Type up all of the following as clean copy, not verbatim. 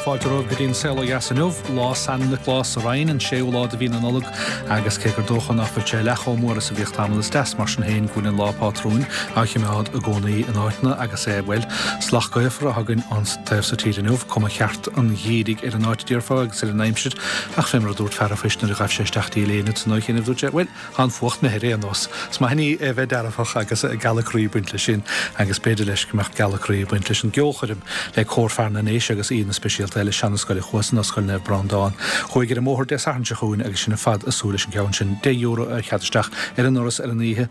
Fáilte romhaibh go dtí an Saol Ó Dheas inniu, lá San Nioclás sa Rinn, an séú lá de mhí na Nollag agus cé gur dócha nach bhfuil sé leath chomh mór is a bhíodh tamall, is deas mar sin féin go bhfuil an lá pátrúin á choimeád i gcónaí in áiteanna agus é, bhuel, salach gaofar atá againn an taobh so tíre inniu, cuma cheart an gheimhridh ar an áit a déarfá agus ar an aimsir ach fé mar a dúirt fear a' phoist nuair a ghaibh sé isteach dtí léine san oíche inniu, dúirt sé, bhuel, Tá an fuacht imithe ar aon nós. Is maith an ní é bheith dearfach agus gealadh croí ag baint leis sin agus b'fhéidir leis go mbeadh gealadh croí ag baint leis an gceolchoirm le Cór Fear na nDéise agus aíonna speisialta eile Seana-Scoil a' Chuasa nó Scoil Naomh Breandán. Chuaigh ar an mbóthar Dé Sathairn seo chugainn agus sinn ar fad ag súil leis an gceann sin. €10 ar chead isteach ar an ndoras ar an oíche.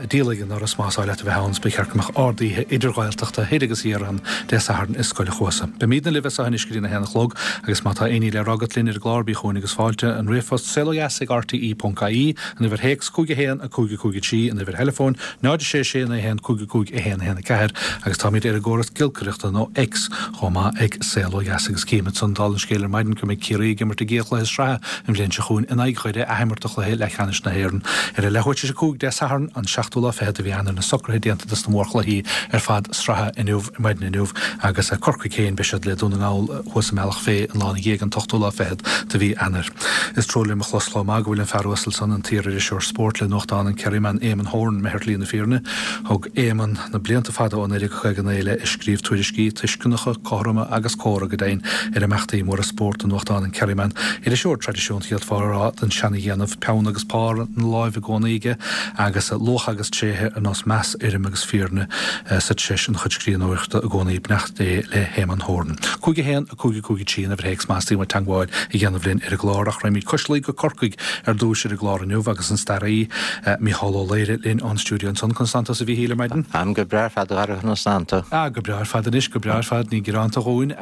Díol ag an ndoras más áil leat a bheith ann. Ba cheart go mbeadh ard-oíche idir-Ghaeltachta thoir agus thiar ann Dé Sathairn i Scoil a' Chuasa. Beimídne libh as seo anois go dtí na haon a chlog agus má tá aon ní le rá agat linn ar an gclár bí chugainn agus fáilte an ríomhphost saolodheas ag rte ponc ie, an uimhir théacs 5 1 5 5 3, an uimhir theileafóin 0 6 6 9 1 5 5 1 1 4 agus táimid ar an gcóras giolcaireachta nó X chomh maith ag Saol Ó Dheas agus címid san dála an scéil ar maidin go mbeidh Ciarraí ag imirt a gcéad chluiche sraithe an bhliain seo chugainn in aghaidh Dhoire athimirt de chluiche leathcheannais na hÉireann ar a leathuair tar éis 5 Dé Sathairn an seachtú lá fichead de mhí Eanáir na socruithe déanta dos na mórchluichí ar fad sraithe inniu maidin inniu agus Corcaigh féin beidh siad le Dún na nGall thuas i mBealach Féich an lá ina dhiaidh an t-ochtú lá fichead de mhí Eanáir. Is trua liom a chlos chomh maith go bhfuil an fear uasal san, an t-iar-iriseoir spóirt le nuachtán an Kerryman, Éamonn Horan, imithe ar shlí na fírinne. Thug Éamonn na blianta fada ó 1959 i leith ag scríobh tuairiscí tuisceanacha, cothroma agus córa go deimhin ar imeachtaí móra spóirt do nuachtán an Kerryman. Iriseoir traidisiúnta d'fhéadfá a rá den seana-dhéanamh, peann agus pár ina láimh i gcónaí aige agus luach agus tréithe ar nós meas, urraim agus fírinne sa treis ina chuid scríbhneoireachta i gcónaí. Beannacht Dé le hÉamonn Horan. 5 1. 5 5 3 an uimhir théacs más teastaíonn uait teagmháil a dhéanamh linn ar an gclár ach raghaimid cois Laoi go Corcaigh ar dtúis ar an gclár inniu agus an staraí Mícheál Ó Laoire linn ón stiúideo ansan. Conas tánn tusa a Mhíchíl ar maidin? Táim go breá ar fad a Dhara conas tánn tú? Ah go breá ar fad anois, go breá ar fad, ní gearánta dhúinn.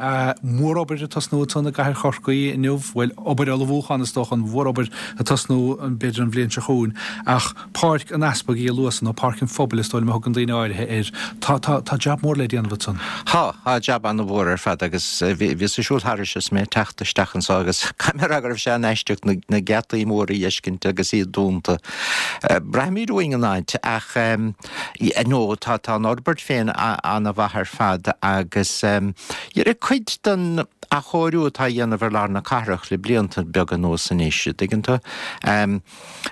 Mórobair ag tosnú ansan i gcathair Chorcaí inniu, bhuel obair ullmhúcháin is dócha, an mhórobair ag tosnú b'fhéidir an bhliain seo chugainn ach Páirc an Easpaig Uí Luasa, nó Páirc an Phobail is dóigh liom a thugann daoine áirithe air. Tá, tá, tá jab mór le déanamh ansan. Tá, tá jab an-mhór ar fad agus bhíos ag siúl thairis is mé ag teacht isteach anso agus caithfidh mé a rá go raibh sé an-aisteach na, na geataí móra a fheiscint agus iad dúnta. Braithimid uainn an áit ach no, tá, tá an fhorbairt féin an-mhaith ar fad agus dhera cuid den athchóiriú atá á dhéanamh ar lár na cathrach le blianta beaga anuas anois, an dtuigeann tú.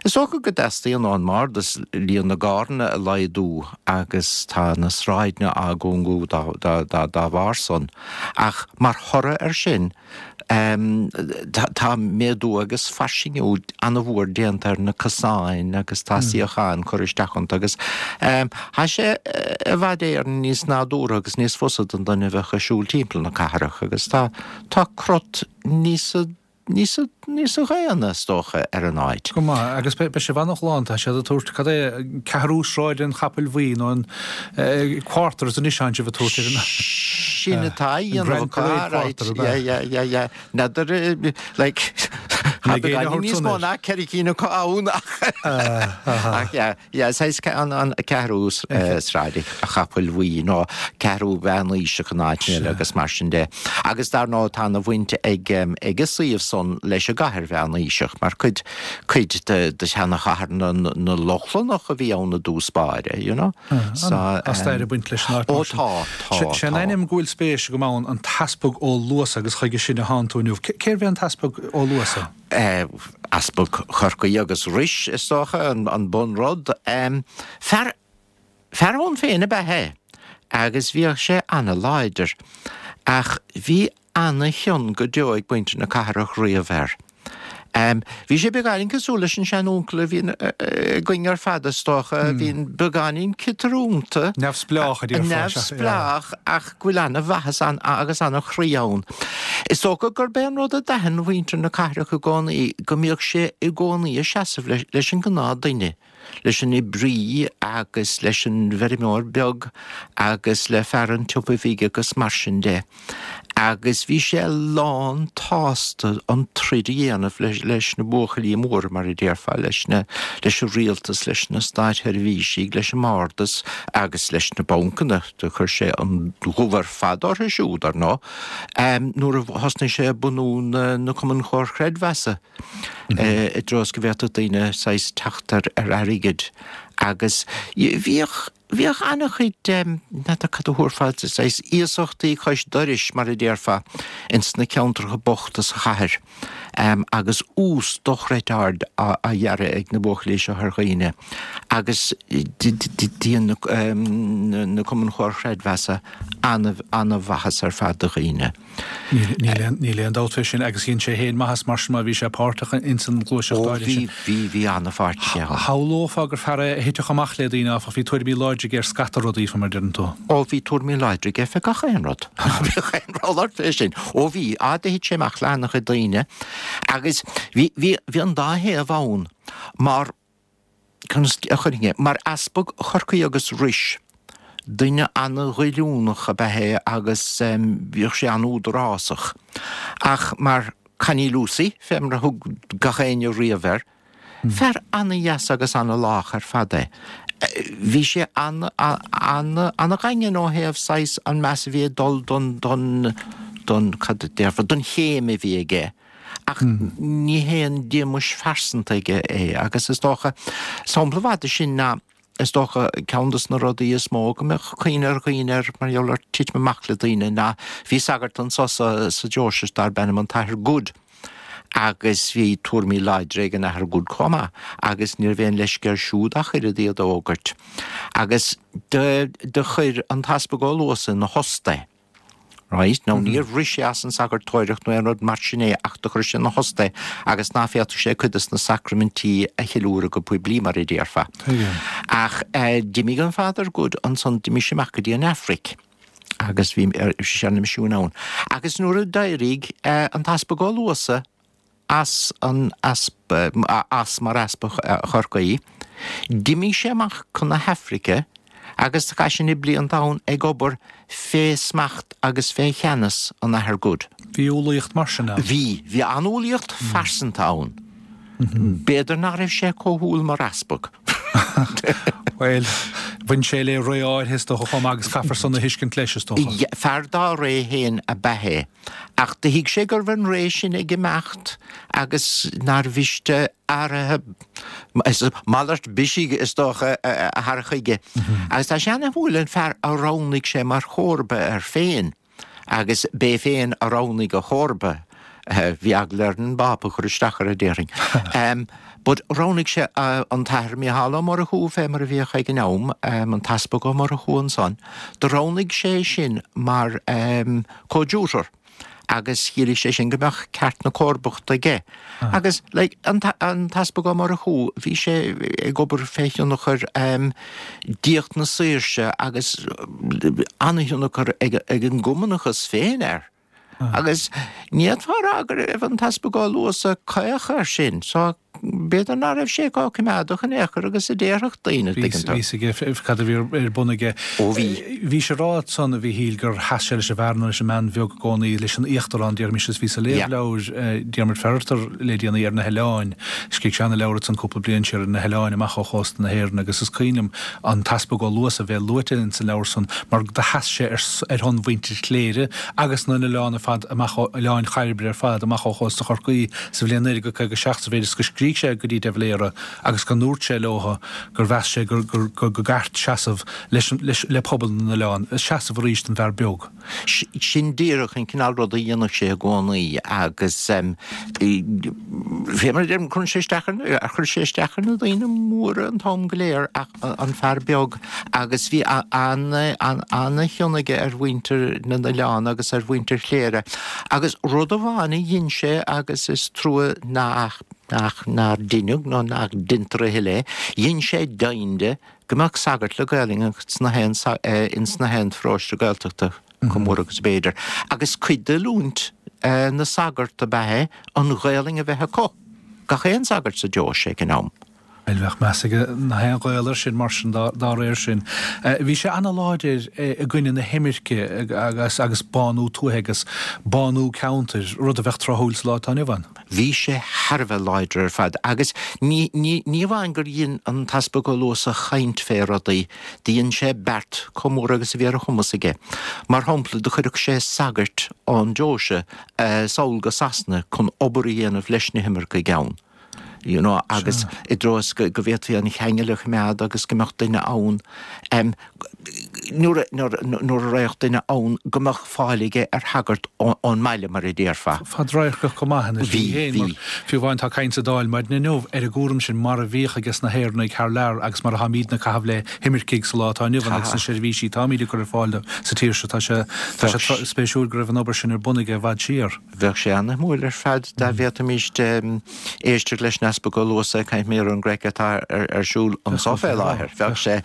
Is dócha go dteastaíonn ón mBardas líon na gcarranna a laghdú agus tá na sráideanna á gcúngú dá bharr san. Ach mar thoradh air sin tá méadú agus fairsingiú an-mhór déanta ar na cosáin agus tá suíocháin curtha isteach iontu agus tá sé i bhfad Éireann níos nádúrtha agus níos fusa don duine a bheadh ag siúl timpeall na cathrach agus tá crot níos níos níos dhaonna, is dócha, ar an áit. Go maith, agus beidh sibh an-ghlán, tá siad ag tabhairt, cad é, ceathrú Sráid an Chapaill Bhuí nó an Quarters anois tánn sibh ag tabhairt ar an Sin atá á dhéanamh acu, right, yeah, yeah, yeah, yeah. N'fheadar, like, tá beagáinín níos mó ná ceithre cinn acu ann ach, ach yeah. Yeah, saghas an ceathrú sráid an Chapaill Bhuí nó ceathrú mheánaoiseach in áit eile agus mar sin de. Agus dar ndóigh tá ana bhaint ag ag an suíomh san leis an gcathair mheánaoiseach mar cuid cuid de de sheanachathair na na Lochlannach a bhí ann i dtús báire, you know. So Tá stair ag baint leis an áit mar sin. Ó tá, tá, Sé an tá. ainm go bhfuil spéis agam ann, an tEaspag Ó Luasa agus chuige sin a thánn tú inniu. Cérbh é an tEaspag Ó Luasa? Easpag Chorcaí agus Rois, is dócha, an bunrud. Fear, fear ann féin ab ea é agus bhíodh sé ana-láidir. Ach bhí ana-chion go deo ag muintir na cathrach riamh air. Bhí sé beagáinín cosúil leis an sean-uncail a bhíonn againn ar fad, is dócha, a bhíonn beagáinín ciotrúnta. Neamhspleách, a déarfá. Neamhspleách ach go bhfuil ana-mhaitheas agus ana-chroí ann. Is dócha gurb é an rud a d'aithin muintir na cathrach i gcónaí go mbíodh sé i gcónaí ag seasamh leis an ngnáthduine, leis an oibrí agus leis an bhfeirmeoir beag agus le fear an tsiopa bhig agus mar sin de. Agus bhí sé lán tsásta an troid a dhéanamh leis na buachaillí móra, mar a déarfá, leis na, leis an rialtas, leis na státsheirbhísigh, leis an mBardas agus leis na bancanna. Do chuir sé an dubh ar fad orthu siúd, ar ndóigh, nuair a thosnaigh sé ag bunú na Cumainn Chomhar Chreidmheasa, i dtreo is go bhféadfadh daoine saghas teacht ar airgead. Agus bhíodh. Bhíodh an-chuid, n'fheadar cad a thabharfá, saghas iasachtaí cois dorais, mar a déarfá, ins na ceantracha bochta sa chathair agus ús dochreidte ard á ghearradh ag na buachaillí seo ar dhaoine agus dhein na Cumainn Chomhar Chreidmheasa an-mhaitheas ar fad do dhaoine. Níl aon dabht fé sin agus dhein sé féin maitheas mar sin má bhí sé páirteach ins an ghluaiseacht áirithe sin. Ó bhí, bhí, bhí an-pháirt aige ann. Shamhlófá gur fear é a thitfeadh amach le daoine áfach, bhí tuairimí láidre aige ar scata rudaí, fé mar a deireann tú. Ó bhí tuairimí láidre aige fé gach aon rud. Bhíodh aon rud ort fé sin. Ó bhí, á do thit sé amach le an-chuid daoine agus bhí, bhí, bhí an dá thaobh ann mar, Conas a chuirfinn é? Mar easpag Chorcaí agus Ruis, duine an-ghoilliúnach ab ea é agus bhíodh sé an-údarásach. Ach mar Connie Lucey, fé mar a thug gach éinne riamh air, fear an-dheas agus an-lách ar fad é. Bhí sé an-dhaingean ó thaobh saghas an meas a bhí ag dul don, don, don, cad a déarfá, don chéim a bhí aige. Ach ní haon díomais phearsanta aige é agus is dócha, sampla mhaith de sin ná, is dócha, ceann dos na rudaí is mó go mbeadh cuimhne ar dhaoine air mar gheall ar titim amach le daoine ná bhí sagart anso sa sa deoise darb ainm an tAthair Good agus bhí tuairimí láidre ag an Athair Good chomh maith agus ní raibh aon leisce air siúd ach oiread iad a fhógairt. Agus do do chuir an tEaspag Ó Luasa ina thost é. Right, now níor bhris sé as an sagartóireacht nó aon rud mar sin é ach do chuir sé ina thost é agus ná féadfadh sé cuid dos na sacraimintí a cheiliúradh go poiblí mar a déarfá. Ach d'imigh an Father Good ansan, d'imigh sé amach go dtí an Afraic agus bhí sé ar na misiúin ann. Agus nuair a d'éirigh an tEaspag Ó Luasa as an as mar Easpag Chorcaí. D'imigh sé amach chun na hAifrice agus chaith sé na blianta ann ag obair fé smacht agus fé cheannas an Athar Good. Bhí umhlaíocht mar sin ann? Bhí. Bhí an-umhlaíocht phearsanta ann. B'fhéidir nach raibh sé chomh humhal mar easpag. Bhuel, bhain sé le ré áirithe is dócha chomh maith agus caithfear san a thuiscint leis is dócha. Fear dá ré féin ab ea é. Ach do thuig sé go raibh an ré sin ag imeacht agus nár mhiste athruithe, malairt bisigh is dócha, a chur chuige. Agus tá sé ana-shuimiúil an fear a roghnaigh sé mar chomharba air féin, agus b'é féin a roghnaigh a chomharba, bhí eagla air an bPápa a chur isteach air, déarfainn. But roghnaigh sé an tAthair Mícheál Ó Murchú, fé mar a bhíodh ag an am, an tEaspag Ó Murchú ansan, do roghnaigh sé sin mar coadjutor agus chiallaigh sé sin go mbeadh ceart na comharbachta aige. Agus like an tEaspag Ó Murchú, bhí sé ag obair fé thionchar diacht na saoirse agus an-thionchar ag an gCumannachas féin air. Agus ní fhéadfá a rá go raibh an tEaspag Ó Luasa caoch air sin, so b'fhéidir ná raibh sé chomh coimeádach in aon chor agus a déarfadh daoine, tuigeann tú. Bhí fhios aige cad a bhí ar bun aige. Ó bhí. Bhís ag rá ansan, a Mhíchíl, gur sheas sé leis an bhfear nó leis an mbean bheag i gcónaí, leis an íochtarán, déarfaimis, agus bhíos ag léamh leabhair Diarmuid Ferriter le déanaí ar na hoileáin. Scrígh sé ana-leabhar ansan cúpla bliain siar ar na hoileáin amach ó chósta na hÉireann agus is cuimhin liom an tEaspag Ó Luasa a bheith luaite ins an leabhar san mar do sheas sé ar shon mhuintir Chléire agus na n-oileán ar fad amach ó Oileáin Chairbre ar fad amach ó chósta Chorcaí sa bhliain 1957 sa mhéid is go scrígh sé go dtí de Valera agus go ndúirt sé leotha gur mheas sé gur gur go gceart seasamh leis leis le pobal na n-oileán, seasamh arís don bhfear beag. Sin díreach an cineál ruda a dhéanadh sé i gcónaí agus fé mar a deirim, cuireann sé isteach ar, chuir sé isteach ar na daoine móra an t-am go léir ach an fear beag agus bhí an-chion aige ar mhuintir na n-oileán agus ar mhuintir Chléire agus rud amháin a dhein sé agus is trua nach, nach, nár deineadh nó nach deintear a thuilleadh é, dhein sé deimhin de go mbeadh sagart le Gaelainn ins na haon ins na haon pharóiste Gaeltachta chomh mór agus ab fhéidir. Agus cuid d'oiliúint na sagart ab ea é an Ghaelainn a bheith acu, gach aon sagart sa deoise ag an am. Bhuel, bheadh meas ag na haon Ghael air sin mar sin dá réir sin. Bhí sé ana-láidir i gcoinne na himirce agus agus bánú tuaithe agus bánú ceantair, rud a bheadh tráthúil sa lá atá inniu ann. Bhí sé thar a bheith láidir ar fad agus ní, ní, ní amháin gur dhein an tEaspag Ó Luasa chaint fé rudaí, do dhein sé beart chomh mór agus a bhí ar a chumas aige. Mar shampla, do chuirfeadh sé sagairt ón deoise sall go Sasana chun obair a dhéanamh leis na himircigh ann. you know, agus i dtreo is go bhféadfaí an cheangal a choimeád agus go mbeadh duine ann, nuair a raghadh duine ann go mbeadh fáil aige ar shagart ón mbaile, mar a déarfá. Fadradharcach go maith ina shlí féin, mar fiú amháin tá caint sa Dáil maidin inniu ar an gcúram sin mar a bhíodh ages na hÉireannaigh thar lear agus mar atáimídne ag caitheamh le himircigh sa lá atá inniu ann agus na seirbhísí atáimíd ag cur ar fáil dóibh sa tír seo. Tá sé spéisiúil go raibh an obair sin ar bun aige i bhfad siar. Bheadh sé ana-shuimiúil ar fad dá bhféadfaimis éisteacht leis an Easpag Ó Luasa ag caint mar gheall ar an gcraic atá ar siúl anso fé láthair. Bheadh sé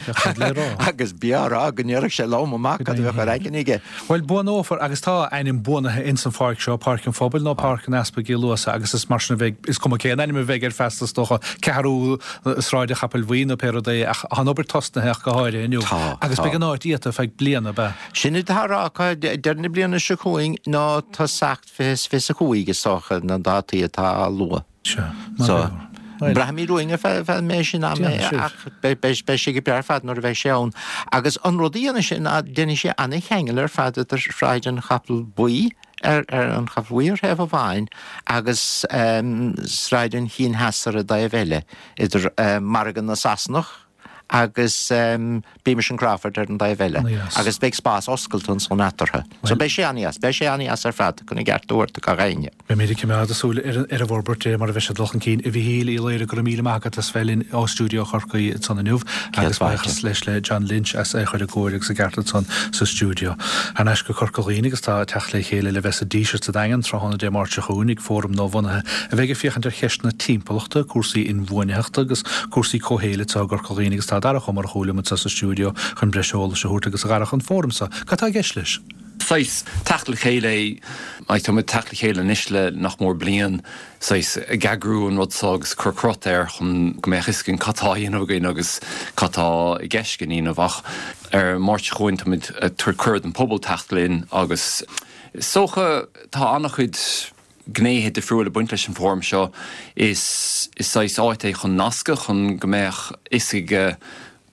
agus bí á rá go ndéarfadh sé lom amach cad a bheadh ar aigne aige. Bhuel, buanófar, agus tá a ainm buanaithe ins an pháirc seo, Páirc an Phobail nó Páirc an Easpaig Uí Luasa agus is mar sin a bheidh, is cuma cén ainm a bheidh air feasta is dócha, Ceathrú Sráid an Chapaill Bhuí nó pé rud é, ach tá an obair tosnaithe ach go háirithe inniu agus beidh an áit iata feadh bliana, ab ea? Sin atá á rá acu, deireadh na bliana seo chugainn nó tosach 2025 is dócha na dátaí atá á lua. Sea. So, braithfimid uainn ar feadh an méid sin ama ach beidh sé go breá ar fad nuair a bheidh sé ann. Agus an rud a dhéanfaidh sé ná déanfaidh sé ana-cheangal ar fad idir Sráid an Chapaill Bhuí, ar an Chapall Bhuí ar thaobh amháin agus Sráid an Chinn Theas ar an dtaobh eile, idir Margadh na Sasanach, agus Beamish and Crawford ar an dtaobh eile agus beidh spás oscailte ansan eatarthu. So beidh sé an-dheas, beidh sé an-dheas ar fad chun an gceart a thabhairt do gach éinne. Beimid ag coimeád súil ar an bhforbairt de mar a bheidh sé ag dul chun cinn. A Mhichíl Uí Laoire, go raibh míle maith agat as bheith linn ó stiúideo Chorcaí ansan inniu agus buíochas leis le John Lynch as é a chur i gcóir agus i gceart ansan sa stiúideo. Thar n-ais go Corca Dhuibhne agus tá teacht le chéile le bheith sa Díseart sa Daingean tráthnóna Dé Máirt seo chugainn ag fóram nuabhunaithe a bheidh ag féachaint ar cheisteanna timpeallachta, cúrsaí inbhuanaitheachta agus cúrsaí comhshaoil anseo i gCorca Dhuibhne agus tá Darach Ó Murchú liom anseo sa stiúideo chun breis eolais a thabhairt agus a Dharach, an fóram seo, cad tá i gceist leis? Saghas teacht le chéile é, like tá muid ag teacht le chéile anois le nach mór bliain, saghas ag eagrú an rud seo agus cur crot air chun go mbeadh fhios againn cad tá á dhéanamh againn agus cad tá i gceist againn a dhéanamh ach ar an Máirt seo chugainn tá muid ag tabhairt cuireadh don phobal teacht linn agus is dócha tá an-chuid gnéithe difriúla ag baint leis an bhfóram seo. Is saghas áit é chun nascadh, chun go mbeadh fhios ag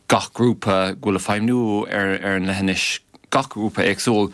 gach grúpa go bhfuil ag feidhmniú ar an leithinis, gach grúpa éagsúil,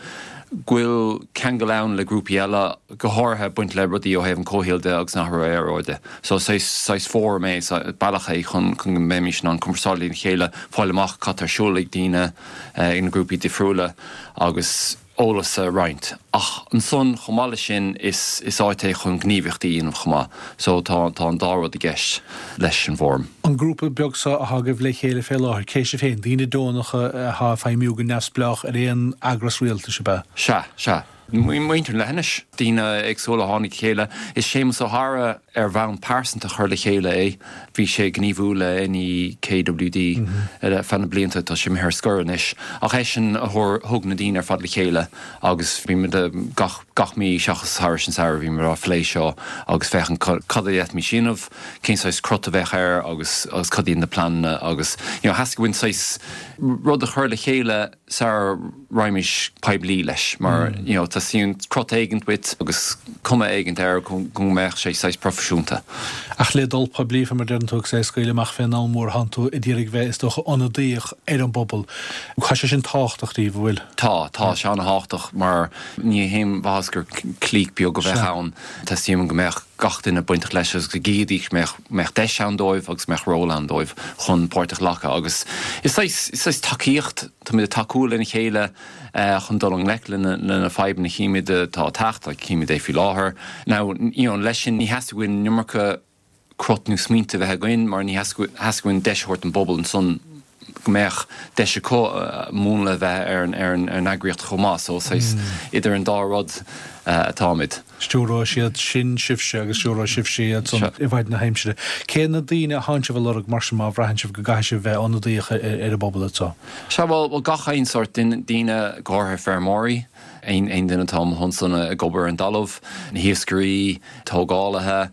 go bhfuil ceangal ann le grúpaí eile, go háirithe ag baint le rudaí ó thaobh an chomhshaoil de agus an athrú aeráide. So saghas, saghas fóram é, bealach é chun go mbeimis in ann cumarsáid lena chéile, fáil amach cad tá ar siúl ag daoine, ag na grúpaí difriúla agus. eolas a roinnt. Ach ansan, chomh maith leis sin, is is áit é chun gníomhaíochtaí a dhéanamh chomh maith. So tá tá an dá rud i gceist leis an bhfóram. An grúpa beag seo atá agaibh le chéile fé láthair, cé sibh féin? Daoine deonacha atá ag feidhmiú go neamhspleách ar aon eagras rialtais, ab ea? Sea, sea. Muintir an leithinis. Daoine éagsúla a tháinig le chéile. Is Séamus Ó hEadhra ar bhonn pearsanta a chuir le chéile é. Bhí sé ag gníomhú le NEKWD ar feadh na blianta, tá sé imithe ar scor anois, ach eisean a thug na daoine ar fad le chéile agus bhí muid gach gach mí seachas thairis an samhradh bhí muid á phlé seo agus féachaint cad a d'fhéadfaimis a dhéanamh, cén saghas crot a bheadh air agus agus cad iad na pleananna agus you know theastaigh uainn saghas rud a chur le chéile sara raghaimís poiblí leis mar you know teastaíonn crot éigint uait agus cuma éigint air go mbeadh sé saghas proifisiúnta. Ach le dul poiblí, fé mar a deireann tú, agus é a scaoileadh amach fén am mór, thánn tú ag iarraidh bheith, is dócha, ionadaíoch ar an bpobal. Tá sé sin tábhachtach daoibh, an bhfuil? Tá, tá sé an-thábhachtach mar ní haon mhaitheas gur clique beag a bheadh ann. Teastaíonn go mbeadh gach duine bainteach leis agus go gcífidís go mbeadh deis ann dóibh agus go mbeadh ról ann dóibh chun páirt a ghlacadh agus is saghas, is saghas tacaíocht, táimid ag tacú lena chéile chun dul i ngleic le na fadhbanna a chímid atá ag teacht, like címid é faoi láthair. Now, you know, leis sin ní theastaigh uainn an iomarca crot nó smaointe a bheith againn mar ní theastaigh uainn deis a thabhairt don bpobal ansan go mbeadh deis acu múnla a bheith ar an eagraíocht chomh maith. So saghas idir an dá rud atáimid. Stiúróidh siad sin sibhse agus stiúróidh sibhse iad san i bhfaid na haimsire. Cé na daoine a thánn sibh a lorg mar sin má bhraitheann sibh go gcaithfidh sibh bheith ionadaíoch ar an bpobal anseo? Sea, bhuel, gach aon sórt daoine, go háirithe feirmeoirí, aon duine atá amuigh ansan ag obair ar an dtalamh, na hiascairí, tógálaithe,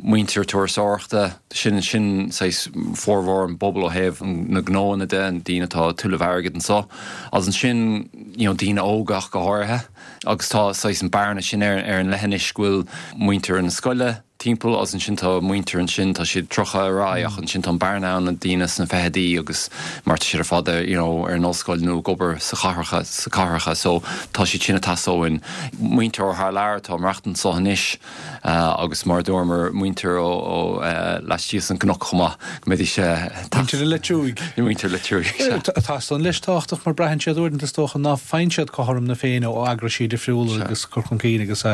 muintir turasóireachta, sin sin saghas formhór an bpobal ó thaobh na gnóanna de, na daoine atá ag tuilleamh airgid anso. Agus ansin you know daoine óga ach go háirithe. Agus tá saghas an bearna sin ar ar an leithinis go bhfuil muintir na scoile. timpeall agus ansin tá muintir ansin, tá siad 30 ar aghaidh ach ansin tá an bearna ann na daoine sna fichidí agus mar tá siad ar fad ar you know ar an ollscoil nó ag obair sa chathracha sa cathracha so tá siad sin ag teastáil uainn. Muintir ó thar lear atá ag maireachtaint anso anois agus mar a dúramar muintir ó ó laistíos den gcnoc chomh maith go mbeidís Muintir an Leitriúigh. Muintir Leitriúigh, sea. Tá san leis tábhachtach mar braitheann siad uaireanta is dócha ná faigheann siad cothrom na Féinne ó eagraisí difriúla agus cur chun cinn agus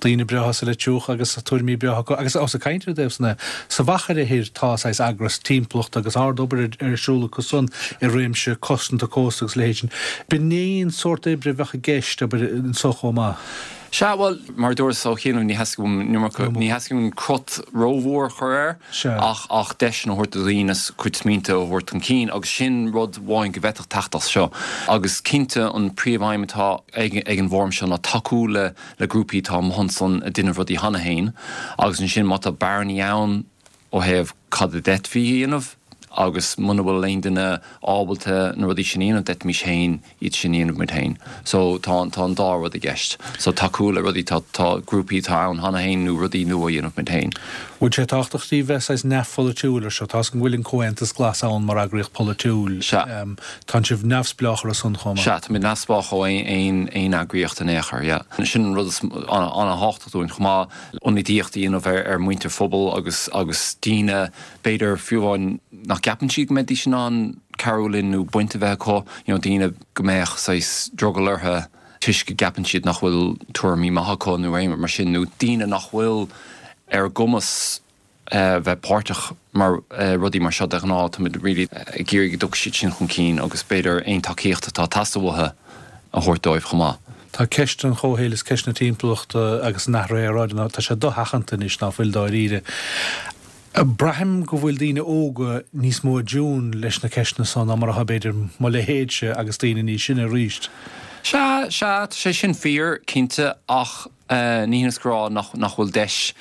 daoine breátha sa Leitriúch agus tuairimí breátha acu agus ós ag caint ar an dtaobh san é, sa Mhachaire Thoir tá saghas eagras timpeallachta agus ard-obair ar siúl acu san i réimse cosanta cósta agus a leithéid sin. B'in é an sórt oibre a bheadh i gceist, abair, anso chomh maith. Sea, bhuel, mar a dúras ó chianaibh, ní theastaigh uaim an iomarca, ní theastaigh uaim crot rómhór a chur air ach, ach deiseanna a thabhairt do dhaoine a gcuid smaointe a thabhairt chun cinn agus sin rud amháin go bhféadfadh teacht as seo. Agus cinnte an príomhaidhm atá ag, ag an bhfóram seo ná tacú le, le grúpaí atá amuigh ansan ag déanamh rudaí cheana féin agus ansin má tá bearnaí ann ó thaobh cad a d'fhéadfaí a dhéanamh agus muna bhfuil aon duine ábalta na rudaí sin a dhéanamh d'fhéadfaimis féin iad sin a dhéanamh muid féin. So tá tá an dá rud i gceist. So tacú le rudaí tá tá grúpaí atá ann cheana féin nó rudaí nua a dhéanamh muid féin. Bhfuil sé tábhachtach daoibh bheith saghas neamhpholaitiúil ar seo? Tá 'fhios agam go bhfuil an Comhaontas Glas ann mar eagraíocht pholaitiúil. Sea. Tánn sibh neamhspleách ar a son chomh maith. Sea, táimid neamhspleách ó aon eagraíocht in aon chor, yeah. Sin an rud is an-thábhachtach dúinn chomh maith, ionadaíocht a dhéanamh ar mhuintir phobal agus agus daoine, b'fhéidir, fiú amháin nach gceapann siad go mbeidís in ann cabhrú linn nó baint a bheith acu, you know, daoine go mbeadh saghas drogall orthu toisc go gceapann siad nach bhfuil tuairimí maithe acu nó aon rud mar sin, nó daoine nach bhfuil ar a gcumas bheith páirteach mar rudaí mar seo de ghnáth, táimid really ag iarraidh go dtiocfaidh siad sin chun cinn agus b'fhéidir aon tacaíocht atá ag teastáil uathu a thabhairt dóibh chomh maith. Tá ceist an chomhshaoil is ceist na timpeallachta agus an athraithe aeráide, tá sé dosheachanta anois ná fuil dáiríre. Braithim go bhfuil daoine óga níos mó i dtiún leis na ceisteanna so ná mar atá b'fhéidir mo leithéidse agus daoine níos sine arís. Sea, sea, tá sé sin fíor, cinnte, ach Ní hionann is go rá nach bhfuil deis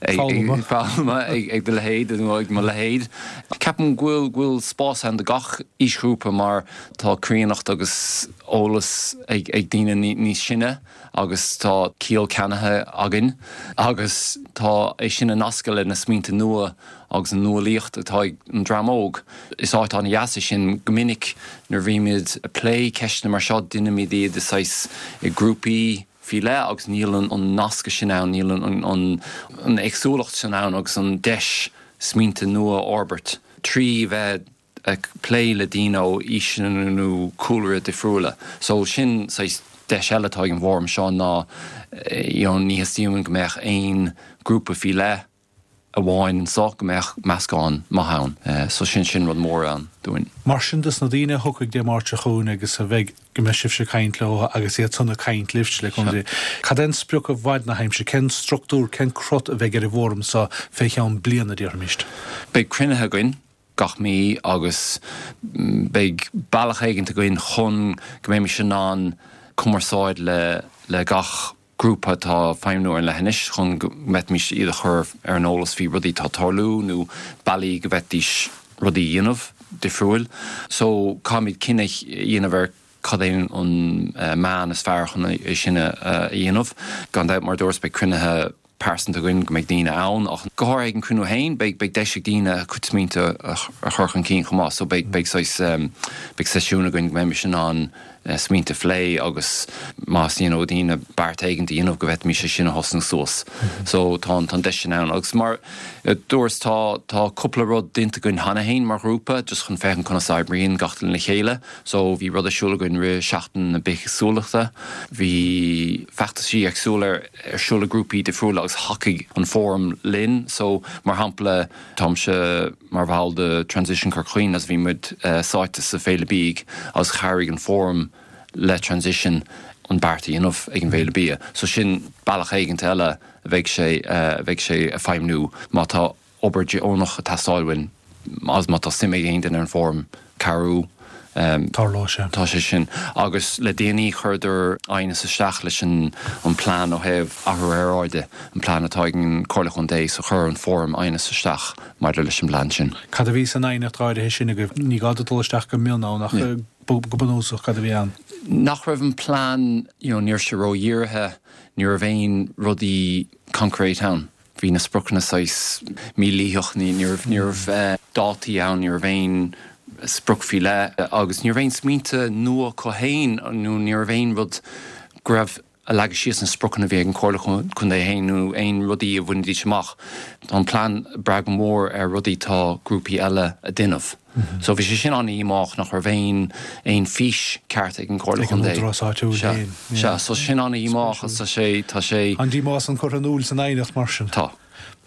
foghlama ag do leithéid nó ag mo leithéid. Ceapaim go bhfuil go bhfuil spás ann do gach aoisghrúpa mar tá críonnacht agus eolas ag daoine níos sine agus tá ciall ceannaithe againn agus tá é sin ag nascadh le na smaointe nua agus an nuálaíocht atá ag an dream óg. Is áit an-dheas é sin. Go minic nuair a bhímid ag plé ceisteanna mar seo déanaimid iad i saghas i grúpaí, faoi leith agus níl an nascadh sin ann, níl an éagsúlacht sin ann agus an deis smaointe nua a fhorbairt trí bheith ag plé le daoine ó aoiseanna nó cúlra difriúla. So sin saghas deis eile atá ag an bhfóram seo ná you know ní theastaíonn go mbeadh aon grúpa faoi leith, amháin anso go mbeadh meascán maith ann. So sin, sin rud mór ann dúinn. Mar sin dos na daoine a thiocfaidh Dé Máirt seo chugainn agus a bheidh, go mbeidh sibhse ag caint leo agus iad san ag caint libhse, le cúnamh Dé, cad é an sprioc i bhfad na haimsire, cén structúr, cén crot a bheidh ar an bhfóram so fé cheann bliana, déarfaimist? Beidh cruinnithe againn gach mí agus beidh bealach éigint againn chun go mbeimis in ann cumarsáid le le gach grúpa atá ag feidhmniú ar an leithinis chun go bhféadfaimis iad a chur ar an eolas faoi rudaí atá ag tarlú nó bealaí go bhféadfaidís rudaí a dhéanamh difriúil. So caithfimid cinneadh a dhéanamh ar cad é an meán is fearr chun é sin a dhéanamh. Gan dabht, mar a dúras, beidh cruinnithe pearsanta againn go mbeidh daoine ann ach go háirithe ag an cruinniú féin beidh beidh deis ag daoine a gcuid smaointe a chur chun cinn chomh maith so beidh beidh saghas beidh seisiún againn go mbeimis in ann smaointe a phlé agus más you know daoine beart éigin a dhéanamh go bhféadfaimis é sin a thosnú suas. So tá an tá an deis sin ann agus mar a dúras tá tá cúpla rud déanta againn cheana féin mar ghrúpa just chun féachaint conas a oibríonn gach duine le chéile. So bhí rud ar siúl againn rith Seachtain na Bithéagsúlachta, bhí feachtaisí éagsúla ar ar siúl ag grúpaí difriúla agus thacaigh an Fóram linn. So, mar shampla, táimse mar bhall de Transition Corca Dhuibhne agus bhí muid sáite sa Féile Bídh agus chabhraigh an Fóram le Transition an beart a dhéanamh ag an bhFéile Bia. So sin bealach éigint eile a bheidh sé, a bheidh sé ag feidhmniú má tá obair deonach ag teastáil uainn agus má tá suim ag aon duine ar an bhfóram cabhrú. Tarlóidh sé. Tá sé sin. Agus le déanaí chuireadar aighneas isteach leis an an plean ó thaobh athrú aeráide, an plean atá ag an Comhairle Chontae, so chuir an fóram aighneas isteach maidir leis an bplean sin. Cad a bhí san aighneacht áirithe sin agaibh? Ní gá duit dul isteach go mion ann ach go bunúsach cad a bhí ann? Nach raibh an plean, you know, ní raibh sé ró-dhírithe, ní raibh aon rudaí concrete ann. Bhí na spriocanna saghas mílítheach, ní raibh, ní raibh dátaí ann, ní raibh aon sprioc faoi leith agus ní raibh aon smaointe nua acu féin nó ní raibh aon rud go raibh a leagadh síos na spriocanna a bhí ag an Chomhairle Contae féin nó aon rudaí a bhainfidís amach. Tá an plean ag brath go mór ar rudaí tá grúpaí eile a déanamh. So bhí sé sin an-dhíomách nach raibh aon aon fís ceart ag an Chomhairle Ag an Contae. údarás áitiúil Sea, féin. sea, so sin an-dhíomách agus tá sé, tá sé. An díomá san curtha in iúl san aighneacht mar sin? Tá.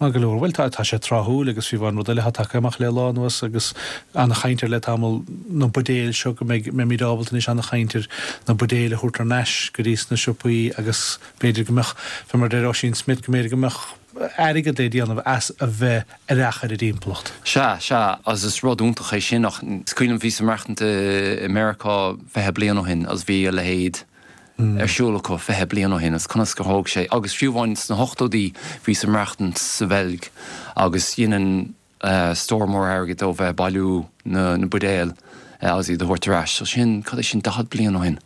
Maith go leor. Bhuel, tá, tá sé tráthúil agus fiú amháin rud eile atá tagtha amach le lá anuas agus an-chaint air le tamall, na buidéil seo, go mbeidh, mbeimid ábalta anois an-chaint ar na buidéil a thabhairt thar n-ais go dtí sna siopaí agus b'fhéidir go mbeadh, fé mar a deir Ossian Smyth, go mb'fhéidir go mbeadh airgead le déanamh as a bheith aireach ar an dtimpeallacht. Sea, sea, agus is rud iontach é sin ach is cuimhin liom bhíos ag maireachtaint i Meiriceá 20 bliain ó shin agus bhí a leithéid ar siúl acu 20 bliain ó shin agus conas gur thóg sé agus fiú amháin sna hochtóidí bhíos ag maireachtaint sa Bheilg agus dheineann stór mór airgid ó bheith ag bailiú na mbuidéal agus iad a thabhairt ar ais. So sin, cad é sin, 40 bliain ó shin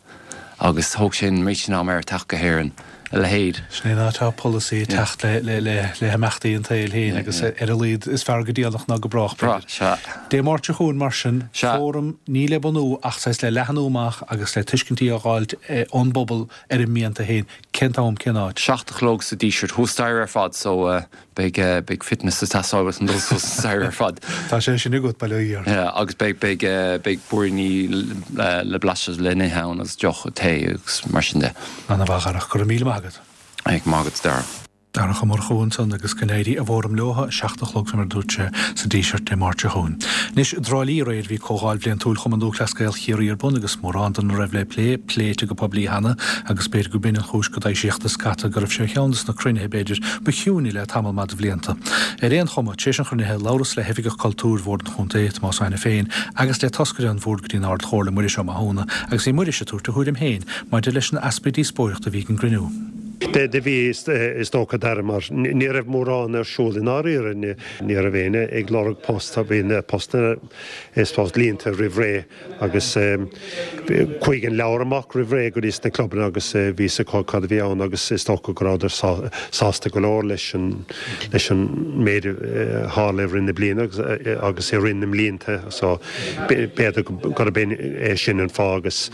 agus thóg sé an méid sin ama air teacht go hÉirinn, a leithéid. Sin é an áit atá polasaí ag teacht le himeachtaí an tsaoil féin agus ar a laghad is fearr go déanach ná go brách, b'fhéidir. Sea. Dé Máirt seo chugainn mar sin, fóram ní le bunú ach saghas le leathnú amach agus le tuiscintí a dh'fháilt ón bpobal ar a mianta féin. Cén t-am, cén áit? 7 a chlog sa Díseart, thuas staighre ar fad so beidh beidh fitness ag teastáil uait chun dul suas an staighre ar fad. Tá sé sin agat, bail ó Dhia ort. Yeah, agus beidh beidh beidh púiríní le blaiseadh le n-ithe ann agus deoch, tae agus mar sin de. Ana-mhaith, a Dharach. Go raibh míle maith agat. Go raibh maith agat, Dara. Darach Ó Murchú ansan agus go n-éirí i bhfóram leo, 7 a chlog fé mar a dúirt sé, sa Díseart Dé Máirt seo chugainn. Anois, i dTrá Lí aréir bhí Comhdháil Bhliantúil Chumann Lúthchleas Gael Chiarraí ar bun agus mórán dona raibh le plé, pléite go poiblí cheana agus b'fhéidir go b'in an chúis go d'fhoilsíodh do scata go raibh sé ar cheann des na cruinnithe b'fhéidir ba chiúine le tamall maith de bhlianta. Ar aon chuma, tar éis an chruinnithe, labhras le hOifigeach Cultúir Bhord an Chontae, Tomás Ó hAiniféin, agus le toscaire an Bhoird go dtí an Ard-Chomhairle, Muiris Ó Mathúna, agus bhí Muiris ag tabhairt a thuairim féin maidir leis an easpa díospóireachta a bhí ag an gcruinniú. Do bhí, is dócha, Dara, mar ní raibh mórán ar siúl i ndáiríre. Ní raibh éinne ag lorg post, bhí na postanna is post líonta roimh ré agus chuaigh an leabhar amach roimh ré go dtí sna clubanna agus bhí fhios acu cad a bhí ann agus is dócha go rabhadar sásta go leor leis an leis an méid a tharla i rith na bliana agus i rith na mblianta so b'fhéidir gurb é sin an fáth agus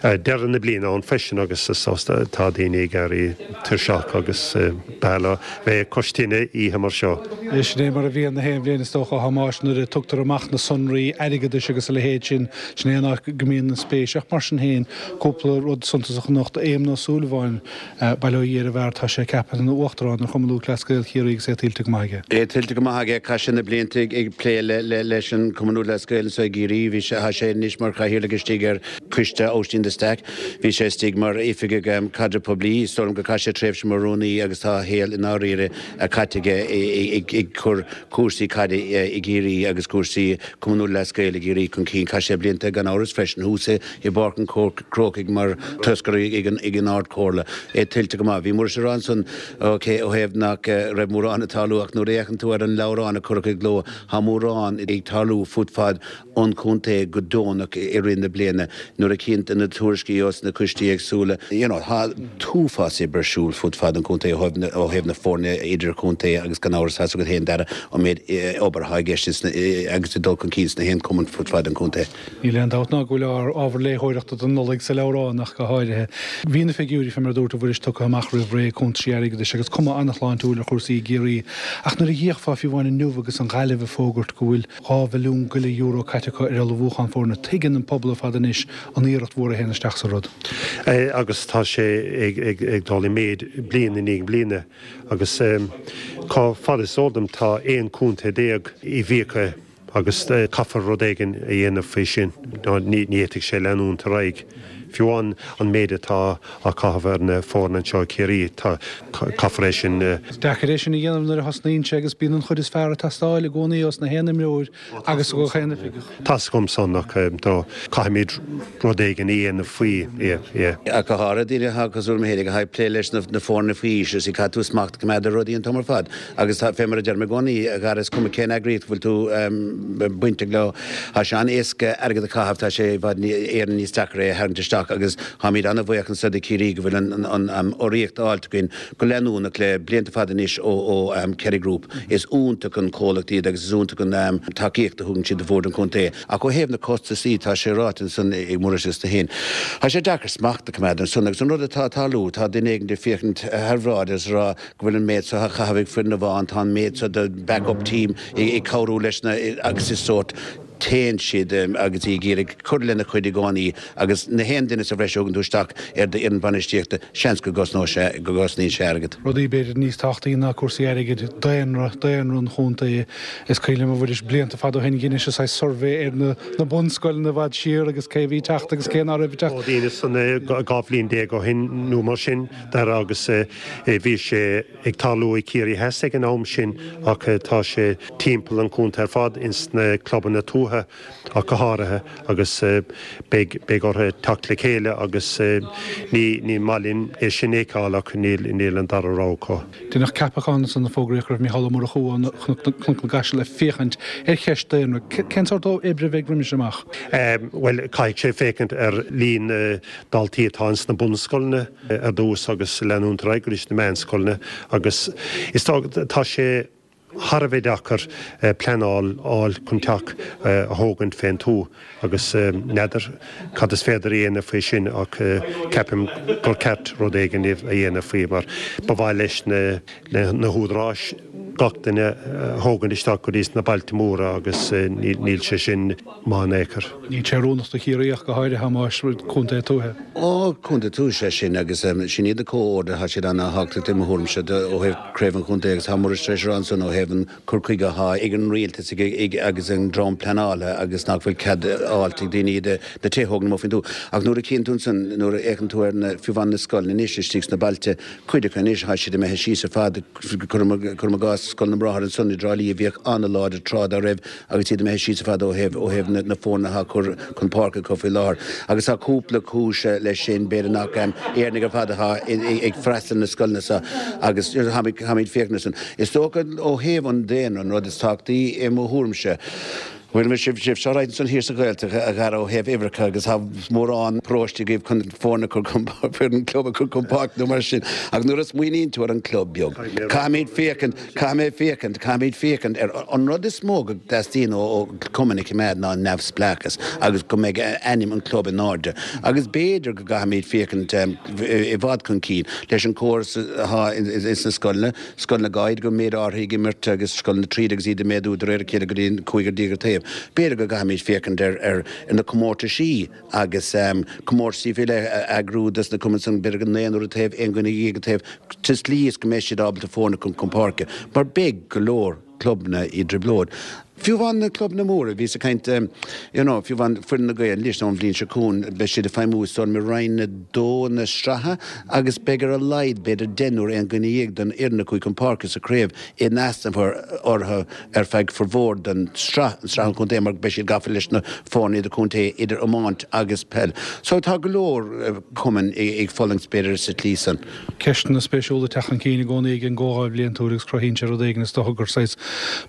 deireadh na bliana ann freisin agus is tá daoine ag éirí tuirseach agus b'fhearr leo bheith cois tine oíche mar seo. Sin é mar a bhíonn na haon bhliain is dócha, a Thomáis, nuair a tugtar amach na sonraí airgeadais agus a leithéid sin, sin é an áit go mbíonn an spéis. Ach mar sin féin, cúpla rud suntasach anocht, Éamonn Ó Súilleabháin, Bail ó Dhia ar an bhfear, tá sé ceaptha ina Uachtarán ar Chumann Lúthchleas Gael Chiarraí agus é tuillte go maith aige. É tuillte go maith aige. Chaith sé na blianta ag plé leis an Chumann Lúthchleas Gael anseo i gCiarraí. Bhí sé, tá sé anois mar chathaoirleach istigh ar Choiste Oisín de Staic. Bhí sé istigh mar oifigeach caidreamh poiblí. Is dóigh liom gur chaith sé tréimhse mar rúnaí agus tá a shaol i ndáiríre caite aige ag cur cúrsaí caide i gCiarraí agus cúrsaí Cumann Lúthchleas Gael i gCiarraí chun cinn. Chaith sé blianta gan amhras freisin thuas i bPáirc an Chrócaigh mar thoscaire ag an Ard Chomhairle. É tuillte go maith. Bhí Muiris ag rá ansan ok ó thaobh nach raibh mórán ag tarlú ach nuair a fhéachann tú ar an leabhrán a cuireadh i gcló tá mórán ag tarlú fud fad an chontae go deonach i rith na bliana. Nuair a chíonn tú na tuairiscí os na coistí éagsúla you know tá t-uafás oibre ar siúl fud fad an chontae ó thaobh na foirne idirchontae agus gan amhras tá's agat féin Dara an méid obair atá i gceist agus ag dul chun cinn sna haon chumann fud fad an chontae. Níl aon dabht ná go bhfuil ábhar léitheoireachta don Nollaig sa leabhrán ach go háirithe. Bhí na figiúirí, fé mar a dúirt a Mhuiris, tugtha amach roimh ré, cuntaisí airgeadais agus cuma an-shláintiúil ar chúrsaí i gCiarraí. Ach nuair a d'fhéachfá fiú amháin inniu agus an Ghaillimh ag fógairt go bhfuil 2 mhilliún go leith euro caite acu ar ullmhúchán foirne, tuigeann an pobal ar fad anois an iarracht mhór a théann isteach sa rud. Agus tá sé ag dul i méid bliain i ndiaidh bliana agus cá fad is eol dom tá 11 contae i bhfiacha. Agus caithfear rud éigin a dhéanamh faoi sin, nó ní fhéadfaidh sé leanúint ar aghaidh. Fiú amháin an méid atá á chaitheamh ar na foirne anseo i Ciarraí, tá, caithfear é sin. Is deacair é sin a dhéanamh nuair a thosnaíonn sé agus bíonn an chuid is fearr ag teastáil i gcónaí ós na haon imreoir agus ó gach aon oifigeach. Tá's agam san ach caithfimid rud éigin a dhéanamh faoi, yeah, yeah. Ach go háirithe daoine atá cosúil liom féinig atá ag plé leis na foirne faoi aois, is caithfidh tú smacht a choimeád ar rudaí an t-am ar fad. Agus tá, fé mar a deirim i gcónaí, a Dhara, is cuma cén eagraíocht a bhfuil tú bainteach leo, tá sé an-éasca airgead a chaitheamh, tá sé i bhfad Éireann níos deacra é a tharraingt isteach. isteach agus táimid an-bhuíoch anso do Chiarraí go bhfuil an urraíocht fháilte againn go leanúnach le blianta fada anois ó Kerry Group. Is iontach an comhlacht iad agus is iontach an tacaíocht a thugann siad do Bhord an Chontae. Ach ó thaobh na costasaí, tá sé ráite ansan ag Muiris is tú féin, tá sé deacair smacht a choimeád ansan agus an rud atá ag tarlú, tá duine éigin ag féachaint thar bhráid agus ag rá go bhfuil an méid seo á chaitheamh ag foireann amháin, tá an méid seo de back up team ag cabhrú leis na agus is sórt téann siad agus í ag iarraidh cur lena chuid i gcónaí agus na haon duine sa bhreis a thugann tú isteach ar d'fhoireann bainistíochta, seans go gcosnóidh sé, go gcosnaíonn sé airgead. Rudaí b'fhéidir níos tábhachtaí ná cúrsaí airgid, daonra, daonra an chontae. Is cuimhin liom a Mhuiris, blianta fada ó shin dheinis saghas suirbhé ar na na bunscoileanna i bhfad siar agus cé a bhí ag teacht agus cé ná raibh ag teacht. Ó dheineas san 12 bhliain ó shin nó mar sin Dara agus bhí sé ag tarlú i Ciarraí Theas ag an am sin ach tá sé timpeall an chontae ar fad ins na clubanna tuaithe ach go háirithe agus beidh beidh orthu teacht le chéile agus ní ní maith linn é sin a fheiceáil ach níl níl an dara rogha acu. Deineadh ceapachán ansan a fógraíodh go raibh Mícheál Ó Murchú ó Chnoc na gCaiseal ag féachaint ar cheist daonra. Cén sórt oibre a bheidh roimis amach? Bhuel caithfidh sé féachaint ar líon na daltaí atá ins na bunscoileanna ar dtús agus leanúint ar aghaidh go dtí na meánscoileanna agus is dócha tá sé thar a bheith deacair pleanáil fháil chun teach a thógaint fén tuath agus n'fheadar cad is féidir a dhéanamh faoi sin ach ceapaim gur ceart rud éigin a dhéanamh faoi mar ba mhaith leis na húdaráis gach duine a thógaint isteach go dtí sna bailte móra agus níl sé sin maith in aon chor. Níl sé oiriúnach do Chiarraí ach go háirithe, a Thomáis, contae tuaithe. Ó, contae tuaithe is ea sin agus sin iad na comhordaithe, tá siad ana-thábhachtach i mo thuairimse ó thaobh craobh an chontae agus tá Muiris tar éis a rá ansan ó thaobh an cur chuige atá ag an rialtas agus an dream pleanála agus nach bhfuil cead fháilt ag daoine iad na tithe a thógaint amuigh faoin tuath. Ach nuair a chíonn tú ansan, nuair a fhéachann tú ar na, fiú amháin na scoileanna anois istigh sna bailte, cuid acu anois, tá siad imithe síos ar fad, cuirim i gcás Scoil na mBráthar ansan i dTrá Lí a bhíodh ana-láidir tráth dá raibh, agus iad imithe síos ar fad ó thaobh ó thaobh na foirne atá curtha chun páirce acu faoi láthair. Agus tá cúpla cúis leis sin, b'fhéidir nach Éireannaigh ar fad atá ag freastal na scoileanna seo agus táimid féachaint ar sin. Is dócha ó thaobh an daonra an rud is tábhachtaí i mo thuairimse, bhuel sibh seo right ansan thiar sa Ghaeltacht a Dhara ó thaobh uimhreacha agus tá mórán paróistí agaibh chun foirne a chur chun foireann club a chur chun páirce nó mar sin ach nuair a smaoiníonn tú ar an club beag caithfimid féachaint Caithfidh mé féachaint, caithfimid féachaint ar, an rud is mó go dteastaíonn ó chumann a choimeád ná neamhspleáchas agus go mbeidh ainm an chlub in airde. Agus b'fhéidir go gcaithfimid féachaint i bhfad chun cinn leis an chóras atá ins na scoileanna, scoileanna Gàidhlig go méid áirithe ag imirt agus scoileanna tríd agus iad ag méadú de réir a chéile go dtí an cúigear déag ar taobh. B'fhéidir go gcaithfimid féachaint ar na comórtaisí agus comórtaisí faoi leith a eagrú dos na cumainn san, b'fhéidir go naonúr an taobh, aon dhuine dhéag an taobh, sa tslí is go mbeidh siad ábalta foirne a chur chun páirce, mar beidh go leor clubanna i dtrioblóid. Fiú amháin na clubanna móra, bhíos ag caint, you know, fiú amháin foireann na Gael anois nó an bhliain seo chugainn, beidh siad ag feidhmiú is dóigh liom i Roinn 2 na sraithe agus beidh ar a laghad b'fhéidir deichniúr, aon dhuine dhéag den fhoireann a chuaigh chun páirce sa chraobh in easnamh orthu ar feadh formhór den sraith, an sraith an chontae, mar beidh siad gafa leis na foirne idir-chontae, idir iomáint agus peil. So tá go leor cumainn ag fulaingt b'fhéidir sa tslí san. Ceisteanna spéisiúla ag teacht chun cinn i gcónaí ag an gComhdháil Bhliantúil agus cruthaíonn sé rud éigin is dócha gur saghas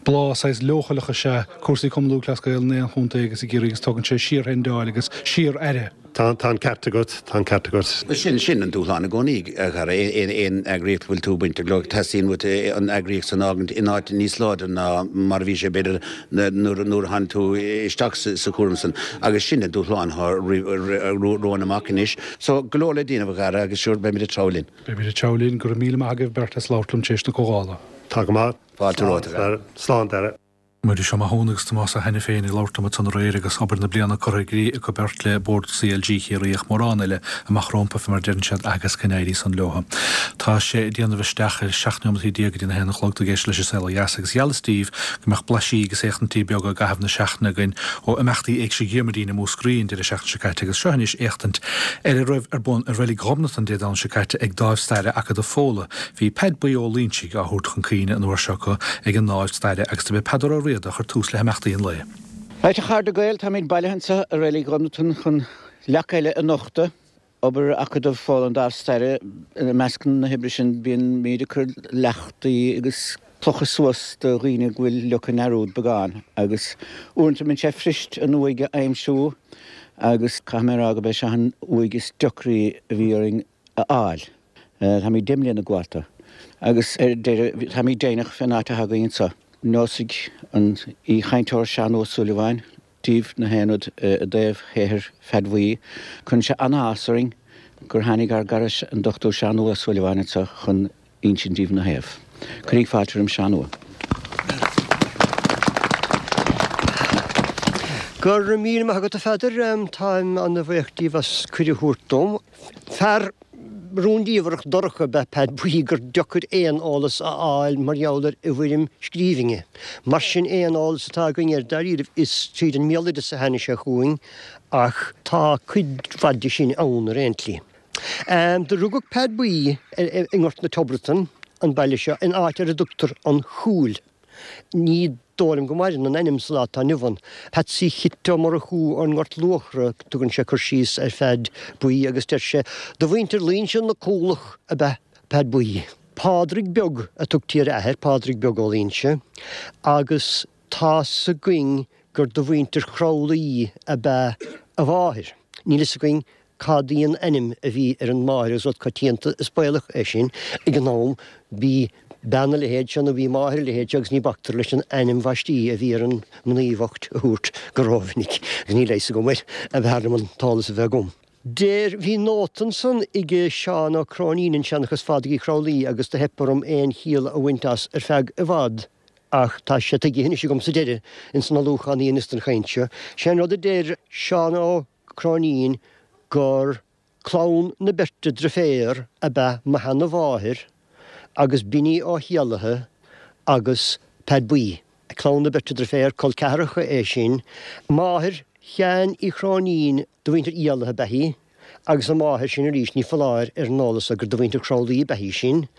bláth, saghas leochaileach is ea cúrsaí Cumann Lúthchleas Gael in aon chontae agus i gCiarraí agus tugann sé síorthrendáil agus síor-aire. Tá an ceart agat, tá an ceart agat. Sin, sin an dúshlán i gcónaí, a Dhara. Aon eagraíocht a bhfuil tú bainteach leo, teastaíonn uait an eagraíocht san a fhágaint in áit níos láidre ná mar a bhí sé, b'fhéidir, nuair a tháinig tú isteach sa chúram san. Agus sin an dúshlán atá romhainn amach anois. So, go leor le déanamh, a Dhara, agus sure, beimid ag treabhadh linn. Beimid ag treabhadh linn. Go raibh míle maith agaibh beirt as labhairt liom tar éis na comhdhála. Tá go maith. Fáilte romhat, a Dhara. Slán, Dara. Muiris Ó Mathúna agus Tomás Ó hAiniféin ag labhairt liom ansan aréir agus obair na bliana curtha i gcrích acu beirt le Bord CLG Chiarraí ach mórán eile amach rómpa fé mar a deireann siad agus go n-éirí san leo. Tá sé ag déanamh isteach ar 17 neomat go dtí na haon a chlog tú ag éisteacht leis an Saol Ó Dheas agus gheallas daoibh go mbeadh blaisí agus éachtaintí beaga i gcaitheamh na seachtaine againn ó imeachtaí Éigse Dhiarmuidín i Múscraí an deireadh seachtaine seo caite agus seo anois éachtaint ar a raibh ar bun i Reilig Ghobnatan Dé Domhnaigh seo caite ag Dáimh Staire Acadamh Fódhla. Bhí Peaid Buí Ó Loingsigh á thabhairt chun cuimhne an uair seo acu ag an nDáimh Staire agus dob é Peadar Ó Riada a chuir tús le himeachtaí an lae. Right, a chairde Gael, táimid bailithe anseo i Reilig Ghobnatan chun leac eile a nochtadh. Obair Acadamh Fódhla an Dáimh Staire, i measc na hoibre sin bíonn muid ag cur leachtaí agus clocha suas do dhaoine go bhfuil ligthe i ndearúd beagán agus uaireanta bíonn sé fuirist an uaigh a aimsiú. Agus caithfidh mé a rá gurb é seo an uaigh is deacraí a bhí orainn a fháil. Táimid 10 mbliana ag gabháil dó. Agus ar deireadh, táimid deimhneach fén áit atá againn anso. Neosfaidh an aoichainteoir Seán Ua Súilleabháin daoibh na haon rud i dtaobh shaothar Pheaid Bhuí. Cuireann sé an-áthas orainn gur tháinig ár gcara an Dr Seán Ua Súilleabháin anso chun insint daoibh 'na thaobh. Cuiríg fáilte roim Seán Ua. Go raibh míle maith agat a Pheadair, táim ana-bhuíoch díobh as cuireadh a thabhairt dom. Fear rúndiamhrach dorcha ab ea Peaid Buí gur deocair aon eolas a fháil mar gheall air i bhfoirm scríbhinne. Mar sin aon eolas atá againn air dáiríribh is tríd an mbéaloideas a tháinig sé chugainn ach tá cuid mhaith de sin ann ar aon tslí. Do rugadh Peaid Buí i nGort na Tiobratan, an baile seo, in áit ar a dtugtar An Chúil. Ní dóigh liom go maireann an ainm sa lá atá inniu ann. Patsy Chit Ó Murchú ón nGort Luachra, tugann sé cur síos ar Pheaid Buí agus deir sé, Do mhuintir Luínse na Cúlach ab ea Peaid Buí. Pádraig Beag a tugtaí ar a athair, Pádraig Beag Ó Luínse, agus tá's againn gur de mhuintir Chroithlí ab ea a mháthair. Níl fhios againn cad í an ainm a bhí ar an máthair agus rud coitianta is baolach é sin ag an am. Bhí bean a leithéid seo nó bhí máthair a leithéid seo agus ní bactar leis an ainm bhaistí a bhí ar an mnaoi bhocht a thabhairt go rómhinic agus níl a fhios agam air, b'fhearr liom an t-eolas a bheith agam. Deir, bhí nóta ansan ag Seán Ó Cróinín in Seanchas Phádraig Uí Chroithlí agus do theip orm aon chiall a bhaint as ar feadh i bhfad ach tá sé tuigthe anois agam sa deireadh ins an ullmhúchán a dheineas don chaint seo. Sé an rud a deir Seán Ó Cróinín gur clann na beirte driféar ab ea mo sheana-mháthair agus Binní Ó hÉallaithe agus Peaid Buí. Clann na beirte driféar, col ceathracha é sin. Máthair Sheáin Uí Chróinín de mhuintir Éallaithe ab ea í, agus a máthair sin arís, ní foláir ar an eolas gur de mhuintir Chroithlí ab ea í sin,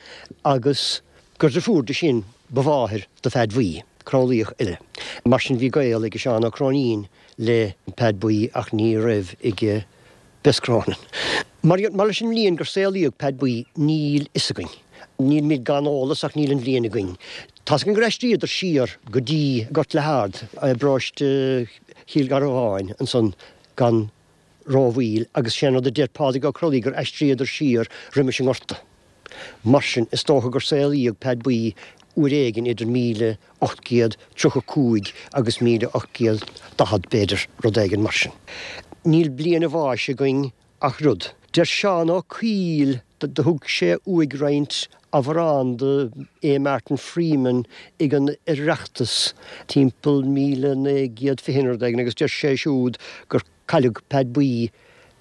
agus gur drifiúr di sin ba mháthair do Pheaid Bhuí, Crothlaíoch eile. Mar sin bhí gaol ag Seán Ó Cróinín le Peaid Buí ach ní raibh ag Bess Cronin. Mar leis an mbliain gur saolaíodh Peaid Buí níl fhios againn. Nílimid gan eolas ach níl an bhliain againn. Tá's againn gur aistríodar siar go dtí Gort le hArd i bparóiste Chill Gharbháin ansan gan rómhoill agus sé an rud a deir Pádraig Ó Crothlaí gur aistríodar siar roimis an ngorta. Mar sin is dócha gur saolaíodh Peaid Buí uair éigin idir 1835 agus 1840 b'fhéidir, rud éigin mar sin. Níl bliain a bháis againn ach rud. Deir Seán Ó Cuill do thug sé uaidh roinnt amhrán do A. Martin Freeman ag an Oireachtas timpeall 1920 nó rud éigin agus deir sé siúd gur cailleadh Peaid Buí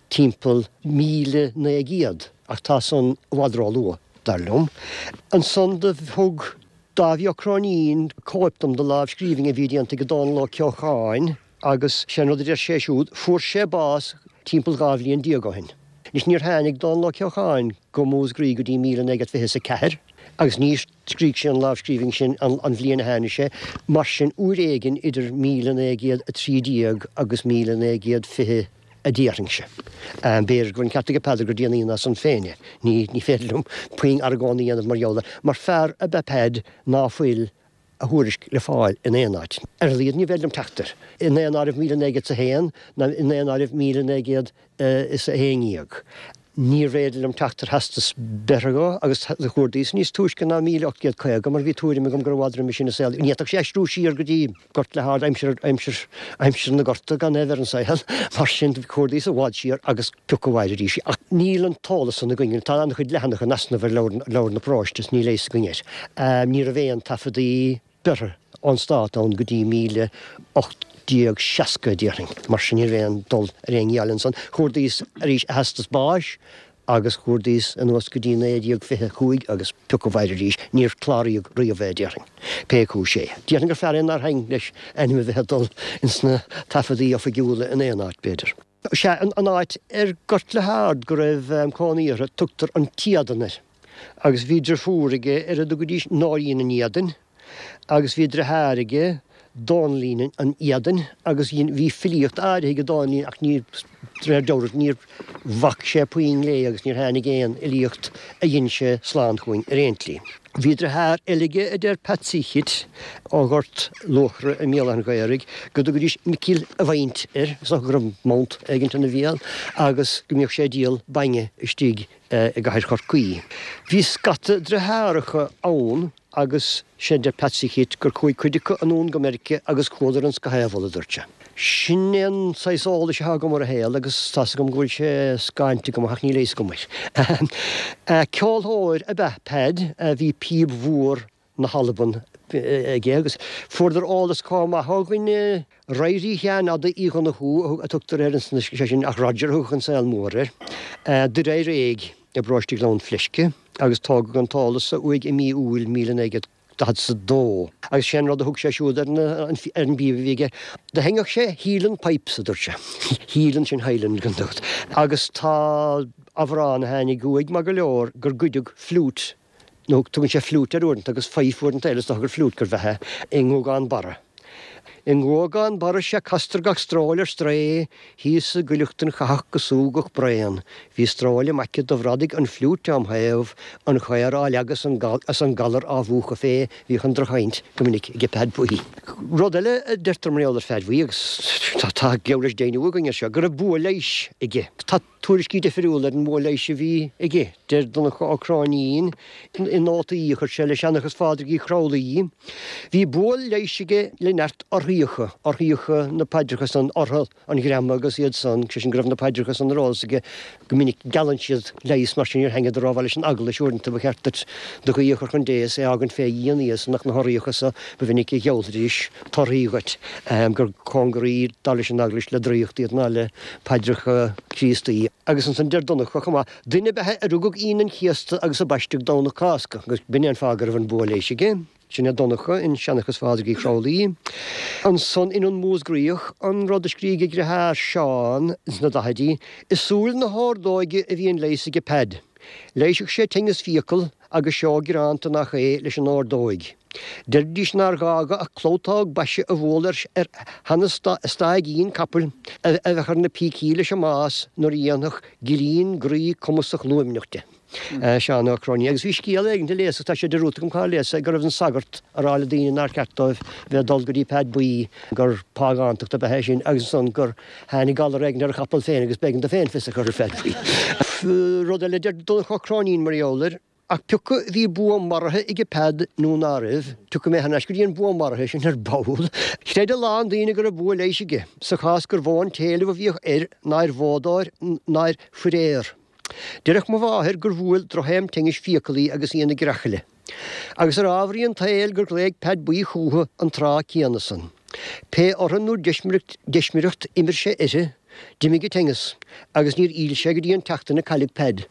timpeall 1900 ach tá san i bhfad róluath, dar liom. Ansan do thug Dáibhí Ó Cróinín cóip dom de lámhscríbhinn a bhí déanta ag Dónall Ó Ceocháin agus sé an rud a deir sé siúd, fuair sé bás timpeall 12 bhliain ó shin. Anois níor tháinig Dónall Ó Ceocháin go Músgraí go dtí 1924 agus níor scrígh sé an lámhscríbhinn sin an bhliain a tháinig sé, mar sin uair éigin idir 1913 agus 1920 a déarfainnse. B'fhéidir go bhfuil an ceart aige Peadar gur déanaí ná san féin é. Ní féidir liom puinn argóna a dhéanamh mar gheall air. Mar fear ab ea Peaid ná fuil a thuairisc le fáil in aon áit. Ar a laghad ní féidir liom teacht air i nDaonáireamh 1901 ná i nDaonáireamh 1911. Níorbh fhéidir liom teacht ar theastas breithe dhó agus do chuardaíos níos túisce ná 1850 mar bhí tuairim agam gur i bhfad roimhe sin a saolaíodh. Ní fhéadfadh sé aistriú siar go dtí Gort le hArd aimsir, aimsir, aimsir na Gorta gan é a bheith ar an saol. Mar sin chuardaíos i bhfad siar agus pioc a mhair arís. Ach níl an t-eolas san againn. Tá an-chuid leathanach in easnamh ar leabhar na paróiste is níl a fhios againn air. Ní raibh aon taifeadaí breithe ón Stát ann go dtí 1860, déarfainn. Mar sin ní raibh aon dul ar aon ghiall ansan. Chuardaíos arís a theastas báis agus chuardaíos anuas go dtí 1925 agus pioc a mhair arís, níor cláraíodh riamh é, déarfainn. Pé cúis é. Déarfainn gur fear é nár thaitn leis ainm a bheith ag dul ins na taifeadaí oifigiúla in aon áit, b'fhéidir. Sea, an áit ar Gort le hArd go raibh cónaí orthu, tugtar an tÉadan air. Agus bhí driofúr aige ar a dtugaidís Nóirín an Éadain, agus bhí driotháir aige. Dónaillín an Éadain agus bhí filíocht áirithe ag Dónaillín ach ní, de réir dealraimh, níor bhac sé puinn léi agus níor tháinig aon fhilíocht a dhein sé slán chugainn ar aon tslí. Bhí driotháir eile aige a deir Patsy Chit ó Ghort Luachra i mBéal Átha an Ghaorthaidh go dtugaidís Micil a' Mhount air, is dócha go raibh mount éigint ina bhéal, agus go mbíodh sé ag díol bainne istigh i gcathair Chorcaí. Bhí scata driotháracha ann agus sé a deir Patsy Chit gur chuaigh cuid acu anonn go Meirice agus chuadar an scaitheamh, a dúirt sé. Sin é an saghas eolais atá agam ar a shaol agus tá's agam go bhfuil sé scáinte agam ach níl a fhios agam air. Ceolthóir ab ea Peaid, bhí píob mhór na hAlban aige agus fuaireadar eolas chomh maith ó dhuine, Ruairí Sheáin Fhada Uí Dhonnchú a tugtar air ansan, sé sin ach Roger a thugadh an saol mór air, Doire Réidh i bparóiste Ghleann Fleisce agus tógadh an t-eolas so uaidh i mí Iúil 1942 agus sé an rud a thug sé siúd ar an bpíob a bhí aige, do sheinneadh sé Hielan Pipes a dúirt sé, Hielan sin Highland gan dabht, agus tá amhrán a tháinig uaidh maith go leor gur goideadh fliúit nó tugann sé fliúit air uaireanta agus fife uaireanta eile, is dócha gur fliúit gurbh ea é, i nGuagán Barra. I nGuagán Barra 'sea castar gach stróil ar strae, thíos i gcuileachtain chathach go súgach braon, bhí stróil im aice do bhradaigh an fliúit óm thaobh, an chaor á leagadh 's an galar á mhúchadh fé, bhíodh an droch-chaint go minic ag Peaid Buí. Rud eile a deirtear mar gheall ar Pheaid Bhuí, agus tá geall leis deimhniú againn air seo, go raibh bua leighis aige. Tá. Tuairiscí difriúla ar an bhua leighis a bhí aige. Deir Donncha Ó Cróinín i nótaí a chuir sé le Seanchas Phádraig Uí Chramhlaí, Bhí bua leighis aige le neart orthaíocha, orthaíocha na paidreacha san, ortha an ghreama agus iad san, sé sin go raibh na paidreacha san ar eolas aige go minic. Geallann siad leigheas mar sin níor thaitneadar rómhaith leis an eaglais uaireanta ba cheart duit do ghuí a chur chun Dé is é a fhágaint fé dhíon ach na horthaíocha so ba mhinic a gheallfaidís torthaí dhuit, gur cóngaraí dar leis an eaglais le draíocht iad ná le paidreacha Críostaí. Agus ansan deir Donncha chomh maith, Duine ab ea é a rugadh Aoine an Chéasta agus a baisteadh Domhnach Cásca, agus b'in é an fáth go raibh an bua leighis aige. Sin é Donncha in Seanchas Phádraig Uí Chramhlaí. Ansan in An Músgraíoch, an rud a scrígh a dhriotháir Seán sna daichidí, I súil na hordóige a bhí an leigheas aige Peaid. Leighisfeadh sé tinneas fiacal agus seó greanta nach é leis an ordóig. Deiridís nár ghá dho ach clabhtóg baise a bhualadh ar sheana-staigín capaill a bheadh ar na pící leis an mbás nuair a dhéanfadh gillín groí cumasach luaimneach de. Seán Ó Cróinín. Agus bhí scéal éigin a léas, agus tá sé dearúdta agam cár léas é, go raibh an sagart a rá le daoine nár cheart dóibh bheith ag dul go dtí Peaid Buí, gur págántacht ab ea é sin, agus ansan gur tháinig galar éigin ar a chapall féin agus b'éigean dó féin fios a chur ar Pheaid Buí. Rud eile a deir Donncha Ó Cróinín mar gheall air, Ach pioca bhí bua maraithe aige Peaid nó ná raibh, tiocfaidh mé thar n-ais go dtí an bua maraithe sin ar ball. Chreid a lán daoine go raibh bua leighis aige, sa chás gur mhó an t-éileamh a bhíodh air ná ar bhoghdóir ná ar fuiréar. Deireadh mo mháthair gur bhuail drochthaom tinnis fiacal í agus í ina greachaile. Agus ar ámharaí an tsaoil gur ghlaoigh Peaid Buí chúithi an tráth céanna san. Pé ortha nó deismireacht imir sé uirthi, d'imigh a tinneas agus níor fhill sé go dtí an tseachtain a cailleadh Peaid.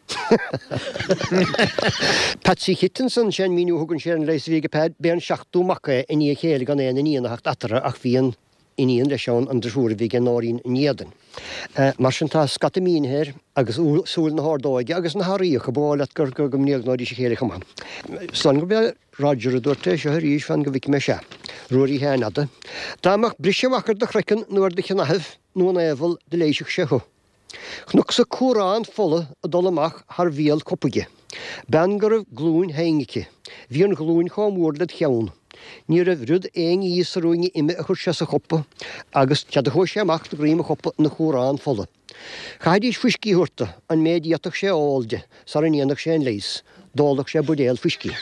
Patsy Chit ansan, sé an míniú a thugann sé ar an leigheas a bhí aige Peaid, b'é an seachtú mac é i ndiaidh a chéile gan aon iníon a theacht eatarthu ach bhí an iníon leis ann, an driofúr a bhí aige Nóirín an Éadain. Mar sin tá scata mínithe air agus súil na hordóige agus na hAraíocha, ba dhóigh leat gur go mbréagnóidís a chéile chomh maith. Is dóigh liom gurb é Roger a dúirt é seo arís, fan go bhfeicfidh mé, sea, Ruairí Sheáin Fhada. Dá mbeadh briseadh amach ar do chraiceann nó ar do shnáithibh nó an aobhal do leighisfeadh sé thú. Chonacsa cúrán fola ag dul amach thar bhéal cupa aige. Bean go raibh glúin thinn aici. Bhí an ghlúin chomh mór led cheann. Ní raibh rud aon ní sa ruainne ime a chuir sé sa chupa agus sea do chuaigh sé amach de dhroim an chupa ina chúrán fola. Chaithfidís fuiscí a thabhairt do, an méid a d'fhéadfadh sé a ól de, sara ndéanfadh sé an leigheas. D'ólfadh sé buidéal fuiscí.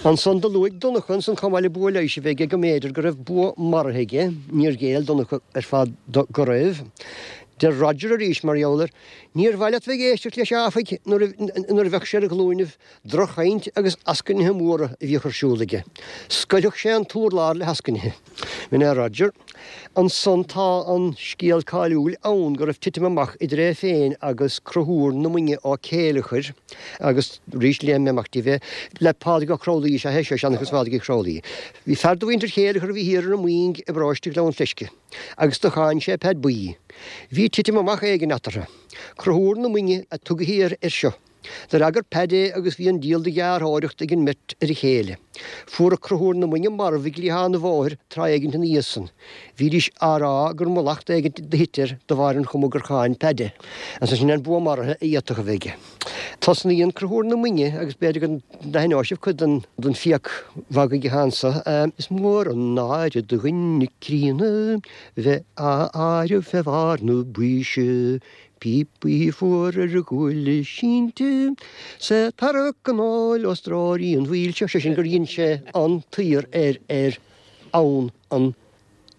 Ansan do luaigh Donncha ansan chomh maith le bua leighis a bheith aige go mb'fhéidir go raibh bua maraithe aige, níor ghéill Donncha ar fad do go raibh. Deir Roger arís mar gheall air, Níor mhaith leat bheith ag éisteacht leis áfaigh nuair a bheadh sé ar a ghlúinibh, droch-chaint agus eascainithe móra a bhíodh ar siúl aige. Scoiltfeadh sé an t-urlár le heascainithe. B'in é Roger. Ansan tá an scéal cáiliúil ann go raibh titim amach idir é féin agus Conchúr na Muinge Ó Céileachair agus arís léifidh mé amach daoibh é, le Pádraig Ó Cromhlaí is ea é seo, Seanchas Phádraig Uí Chromhlaí. Bhí fear de mhuintir Chéileachair a bhí thiar ar an Mhuing i bparóiste Ghleann Fleisce agus do cháin sé Peaid Buí. Bhí titim amach éigin eatarthu. Conchúr na Muinge a tugathí air seo. D'fhreagair Peaid é agus bhí an díol de dheartháireacht ag an mbeirt ar a chéile. Fuaradh Conchúr na Muinge marbh ag cliathán an bhóthair tráth éigint ina dhiaidh san. Bhídís á rá gur mallacht éigint do thit air de bharr an chuma gur cháin Peaid é. Ansan sin é an bua maraithe a fhéadfadh a bheith aige. Tosnaíonn Conchúr na Muinge agus b'fhéidir go n-aithneoidh sibh cuid den fiac mhagaidh atá anso, Is mór an náire do dhuine críonna bheith á áireamh fé bharr na baoise, Píopaí fuara ar a ghuaille sínte, 's é tarrac an óil ó stróirí an mhaoil seo, sé sin gur dhein sé an t-aoir ar ar fhonn an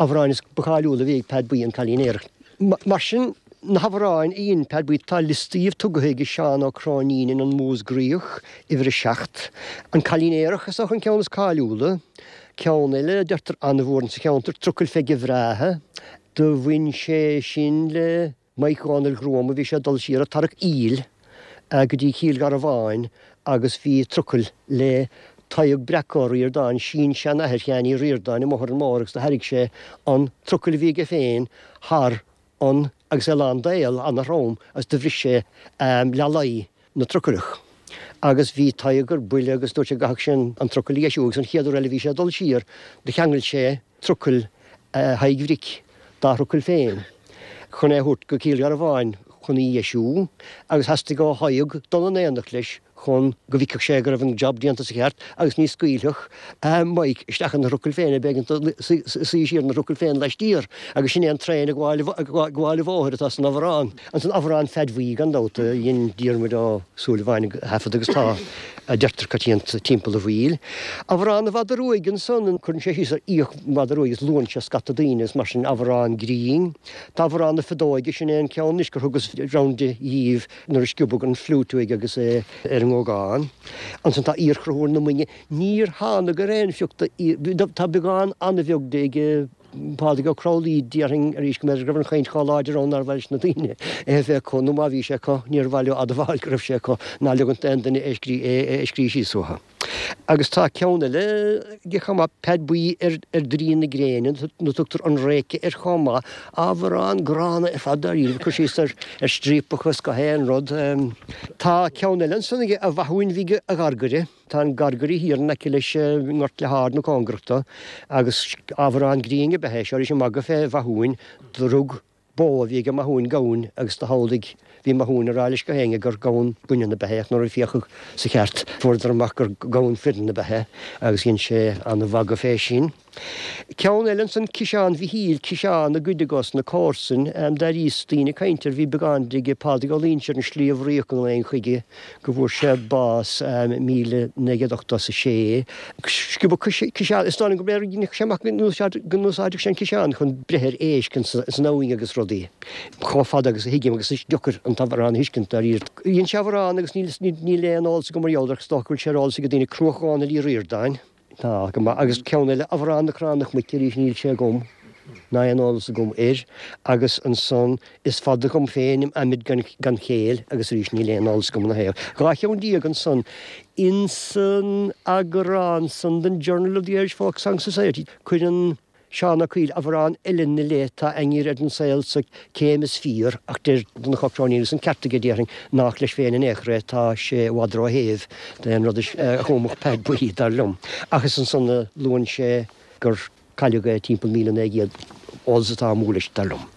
amhráin is ba cháiliúla a bhí ag Peaid Buí, An Cailín Aerach. Mar sin, na hamhráin a dhein Peaid Buí, tá liosta dhíobh tugtha ag Seán Ó Cróinín in An Músgraíoch, uimhir 7. An Cailín Aerach is dócha an ceann is cáiliúla. Ceann eile a deirtear an-mhór insa cheantar, Trucail Pheige Bhreátha. Do bhain sé sin le Maidhc Dhónaill Ghruama, bhí sé ag dul siar ag tarrac aoil go dtí Cill Gharbháin agus bhí trucail le Tadhg Breac Ó Ríordáin, sin-seanathair Sheáin Uí Ríordáin, amuigh ar an mbóthar agus do thairrig sé an trucail a bhí aige féin thar an agus é lán d'aol, ana-throm, agus do bhris sé leath-lao na trucailleach. Agus bhí Tadhg ar buile agus dúirt sé go gcaithfeadh sé an trucail a dheisiú agus an chéad uair eile a bhí sé ag dul siar do cheangail sé trucail Thaidhg Bhric dá thrucail féin chun é a thabhairt go Cill Gharbháin chun í a dheisiú agus theastaigh ó Thadhg dul in éineacht leis chun go bhfeicfeadh sé go raibh an job déanta sa cheart agus ní scaoilfeadh Mike isteach ina thrucail féin é, b'éigean dó suí siar ina thrucail féin laistiar agus sin é an traein ag gabháil an bhóthair atá san amhrán. Ansan Amhrán Pheaid Bhuí gan dabht a dhein Diarmuid Ó Súilleabháin a thaifead agus tá, a deirtear, coitianta timpeall an Mhaoil. Amhrán an Mhadadh Ruaidh ansan, cuireann sé síos ar fhiach mhadadh ruaidh agus luann sé scata daoine agus mar sin Amhrán grinn. Tá Amhrán na Feadóige, sin é an ceann anois gur thugas round de dhíbh nuair a sciobadh an fliúit uaidh agus é ar an nGógán. Ansan tá Iar-Chonchúr na Muinge, níor thánag ar aon phioc de, tá beagán an-bheag de ag Pádraig Ó Cromghlinn, déarfainn arís go mb'fhéidir go raibh an chaint chomh láidir ann nár mhaith leis na daoine é a bheith acu, nó má bhí sé acu, níor mhaith leo admháil go raibh sé acu, ná leogaint d'aon duine é a scríobh síos uathu. Agus tá ceann eile aige chomh maith, Peaid Buí ar Draoi na Gréine, nó tugtar An Réice air chomh maith, amhrán gránna ar fad dáiríre, cur síos ar striapach is gach aon rud. Tá ceann eile ansan aige, A Mhathúin Bhig a Ghargaire. Tá an Gargaire thiar in aice leis i nGort Leath Ard nó cóngarach dó agus amhrán grinn ab ea é seo arís ag magadh fé Mhathúin. Do rug bó a bhí age Mathúin gamhain agus do shamhlaigh bhí Mathúin ag rá leis gach éinne gur gamhain baineann ab ea é ach nuair a féachadh sa cheart fuaireadar amach gur gamhain fireann ab ea é agus dhein sé ana-mhagadh fé sin. Ceann eile ansan, Ciseán Mhichíl, ciseán a goideadh ós na comharsain. D'airíos daoine ag caint air, bhí beagán de ag Pádraig Ó Loingsigh ar an Sliabh Riach a nglaoinn chuige go bhfuair sé bás 1986. Sciobadh ciseán, is dóigh liom go mb'fhéidir sé amach go n-úsáideadh sé an ciseán chun breith ar éisc ins an abhainn agus rudaí. Chomh fada agus a thuigim agus is deacair an t-amhrán a thuiscint dáiríre. Dhein sé amhrán agus níl aon eolas agam mar gheall air ach is dócha go bhfuil sé ar eolas ag daoine, Cruach Dhónaill Uí Ríordáin. Tá, go maith. Agus ceann eile, Amhrán na Cránach Muice arís, níl sé agam, ná aon eolas agam air. Agus ansan, Is fada dhom féin im adhmaid gan chéill, agus arís níl aon eolas agam ina thaobh. 12 cheann ansan. Insan eagrán san den Journal of the Irish Folk Song Society, cuireann Seán Ó Cuill amhrán eile 'na leith, Tá ainnir ar an saol so céim is fíor, ach deir Donnchadh Ó Cróinín, agus an ceart aige déarfainn, nách leis féin in aon chor é, tá sé i bhfad ró-shéimh d'aon rud a chumfadh Peaid Buí, dar liom. Ach is ansan a luann sé gur cailleadh é timpeall 1900, eolas atá amú leis, dar liom.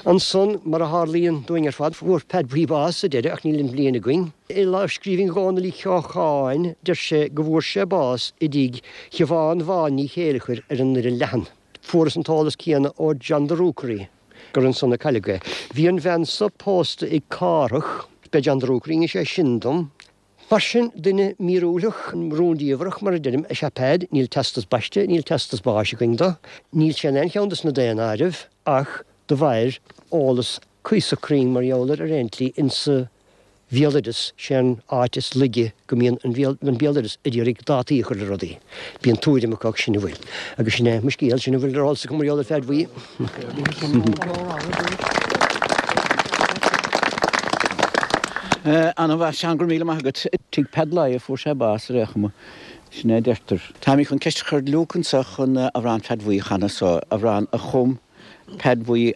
Ansan, mar a tharlaíonn dúinn ar fad, fuair Peaid Buí bás sa deireadh, ach níl an bhliain againn. I lámhscríbhinn Dhónaill Uí Cheocháin, deir sé go bhfuair sé bás i dtigh Shiobhán Bhán Ní Chéileachair ar an nDoire Leathan. Fuarthas an t-eolas céanna ó John de Rúcairí gur ansan a cailleadh é. Bhí an bhean so pósta ag Cárthach, b'é John de Rúcairí a d'inis é sin dom. Mar sin, duine míorúilteach, rúndiamhrach, mar a deirim, is ea Peaid. Níl teastas baiste, níl teastas báis againn do. Níl sé in aon cheann de sna daonáirimh ach do mhair eolas cuíosach cruinn mar gheall air ar aon tslí insa bhéaloideas, sé an áit is laige go mbíonn an béaloideas ag iarraidh dátaí a chur le rudaí. Bíonn tuairim acu ach sin a bhfuil. Agus sin é mo scéal, sin a bhfuil ar eolas agam mar gheall ar Pheaid Bhuí. Ana-mhaith, Seán, go raibh míle maith agat. Tigh Peaid Laidhe a fuair sé bás ar aon chuma, sin é a deirtear. Táimid chun ceist a chur ar Luke anseo chun amhrán Pheaid Bhuí a chanadh so, amhrán a chum Peaid Bhuí.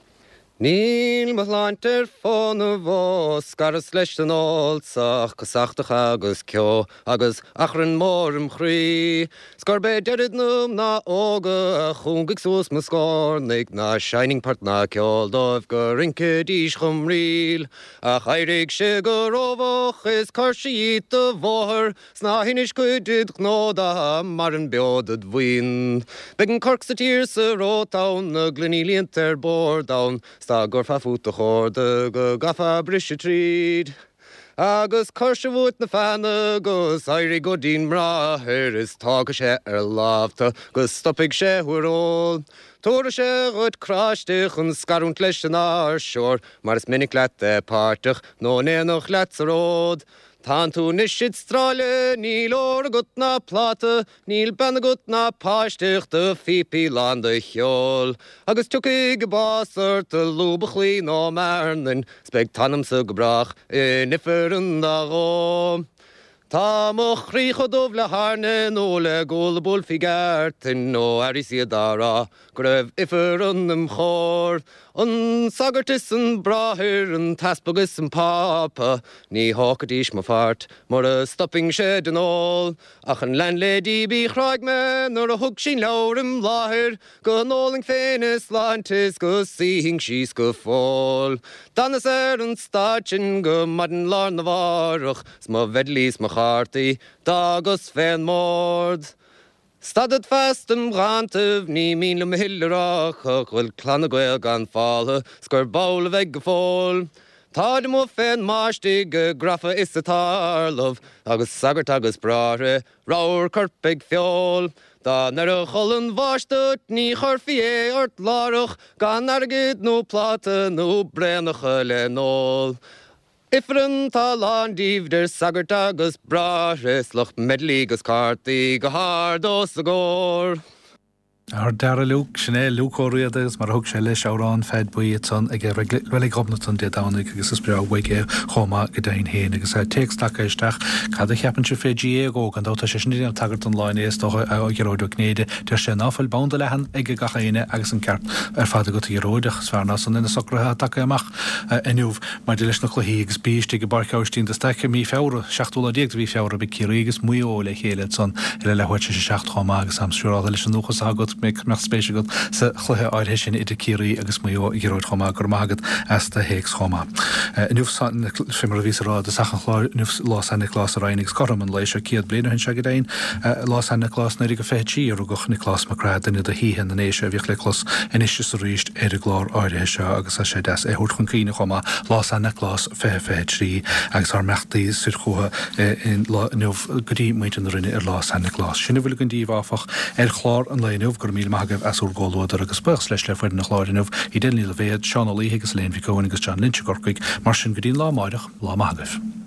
Níl mo shláinte ar fónamh ó scaras leis an ól 's ach casachtach agus ceo agus achrann mór im chroí. 'S gurb é deirid na mná óga a chúngaigh suas mo scornaigh ná seinnfinn port ná ceol dóibh go rincfidís chom ríl. Ach éirigh se go rómhoch is cuir se dhíot do bhóthar 'S ná hinis cuid ded ghnó dá maireann beo dod bhuíon. Beidh an corc sa tír 's a rót ann, na gloiní líonta ar bord ann, 's dá gcuirfeá fút do chórda go gcaithfeá briseadh tríd. Agus cuir se uait na feanna 'gus éirigh go dtí'n mbráthair is tógfaidh sé ar láimh tu 'gus stopfaidh sé thú ar ól. Tabharfaidh sé dhuit cráiste chun scarúint leis an áirseoir mar is minic leat é páirteach nó in éineacht leat sa ród. Tánn tú anois id stráille, níl ór agat ná pláta, níl bean agat ná páiste ach do phíopaí lán de cheol. Agus tiocfaidh an bás ort i lúb an chlaí nó i mBearnain, 's beidh t'anamsa go brách in ifreann dá dhó. Tá mo chroí chomh dubh le hairne nó le gual a buailfí gceártain ó airíos iad á rá go raibh ifreann im chomhair. An sagart is an bráthair, an t-easpag is an pápa, ní thógfaidís mo pháirt mura stopfainn-se den ól. Ach an landlady bí chráigh mé nuair a thug sí'n leabhar im láthair go n-ólfainn féin a sláinte is go suífinn síos go fóill. D'fhanas ar an staid sin go maidin lá arna mhárach 's mo mhedailí 's mo chártaí d'fhágas fén mbord. Stadfad feasta im dhántaibh, ní mian liom a thuilleadh a rá go bhfuil Clanna Gael gan fáltha 's gurb amhlaidh a bheidh go fóill. Táid amuigh fén mbáistigh ag grafadh is ag tarlamh agus sagairt agus bráithre ramhar coirp ag feoil. Dá n-oirfeadh olann bháis duit ní chuirfí é ort láithreach gan airgead nó pláta nó braonacha le n-ól. Ifreann tá lán díobh deir sagairt agus bráithre 's lucht meidlí 'gus cártaí go hard os a gcomhair. Ár dara Luke, sin é Luke Ó Riada agus mar a thug sé leis amhrán Pheaid Buí ansan ag Reilig Ghobnatan Dé Domhnaigh agus is breá uaidh é chomh maith go deimhin féin agus téacs tagtha isteach Cad a cheapann sibh fé GAA Go? Gan dabht tá sé sin ag déanamh tagairt don lá inné is dócha a Ghearóid Ó Cinnéide. Deir sé ná fuil banda leathan ag gach éinne agus an ceart ar fad agat a Ghearóid ach is fearr ná san é na socruithe atá tagtha amach inniu Maidir leis na cluichí, agus bí istigh i bPáirc Aibhistín de Staic i mí Feabhra, seachtú lá déag de mhí Feabhra, beidh Ciarraí agus Maigh Eo le chéile ansan ar a leathuair tar éis a 7 chomh maith agus táim siúráltha leis an dúchas atá agat go mbeadh spéis agat sa chluiche áirithe sin idir Ciarraí agus Maigh Eo a Ghearóid chomh maith. Go raibh maith agat as do théacs chomh maith. Inniu, fé mar a bhíos a rá i dtosach an chláir, inniu Lá San Nioclás a Ryan agus cothrom an lae seo 100 bliain ó shin seo go deimhin, Lá San Nioclás 1923 a rugadh Nioclás Mac Craith, duine de shaoithe na nDéise a bhíodh le clos anois is arís ar an gclár áirithe seo agus tá sé deas é a thabhairt chun cuimhne chomh maith, Lá San Nioclás 2023 agus ár mbeannachtaí soir chucu lá inniu go dtí muintir na Rinne ar Lá San Nioclás. Sin a bhfuil againn daoibh áfach ar chlár an lae inniu. Go raibh míle maith agaibh as úr gcomhluadar agus buíochas leis le foireann an chláir inniu, Edel Ní Loibhéad, Seán Ó Laoithe agus Elaine Mhic Eoin agus John Lynch i gCorcaigh. Mar sin go dtí an lá amáireach, lá maith agaibh.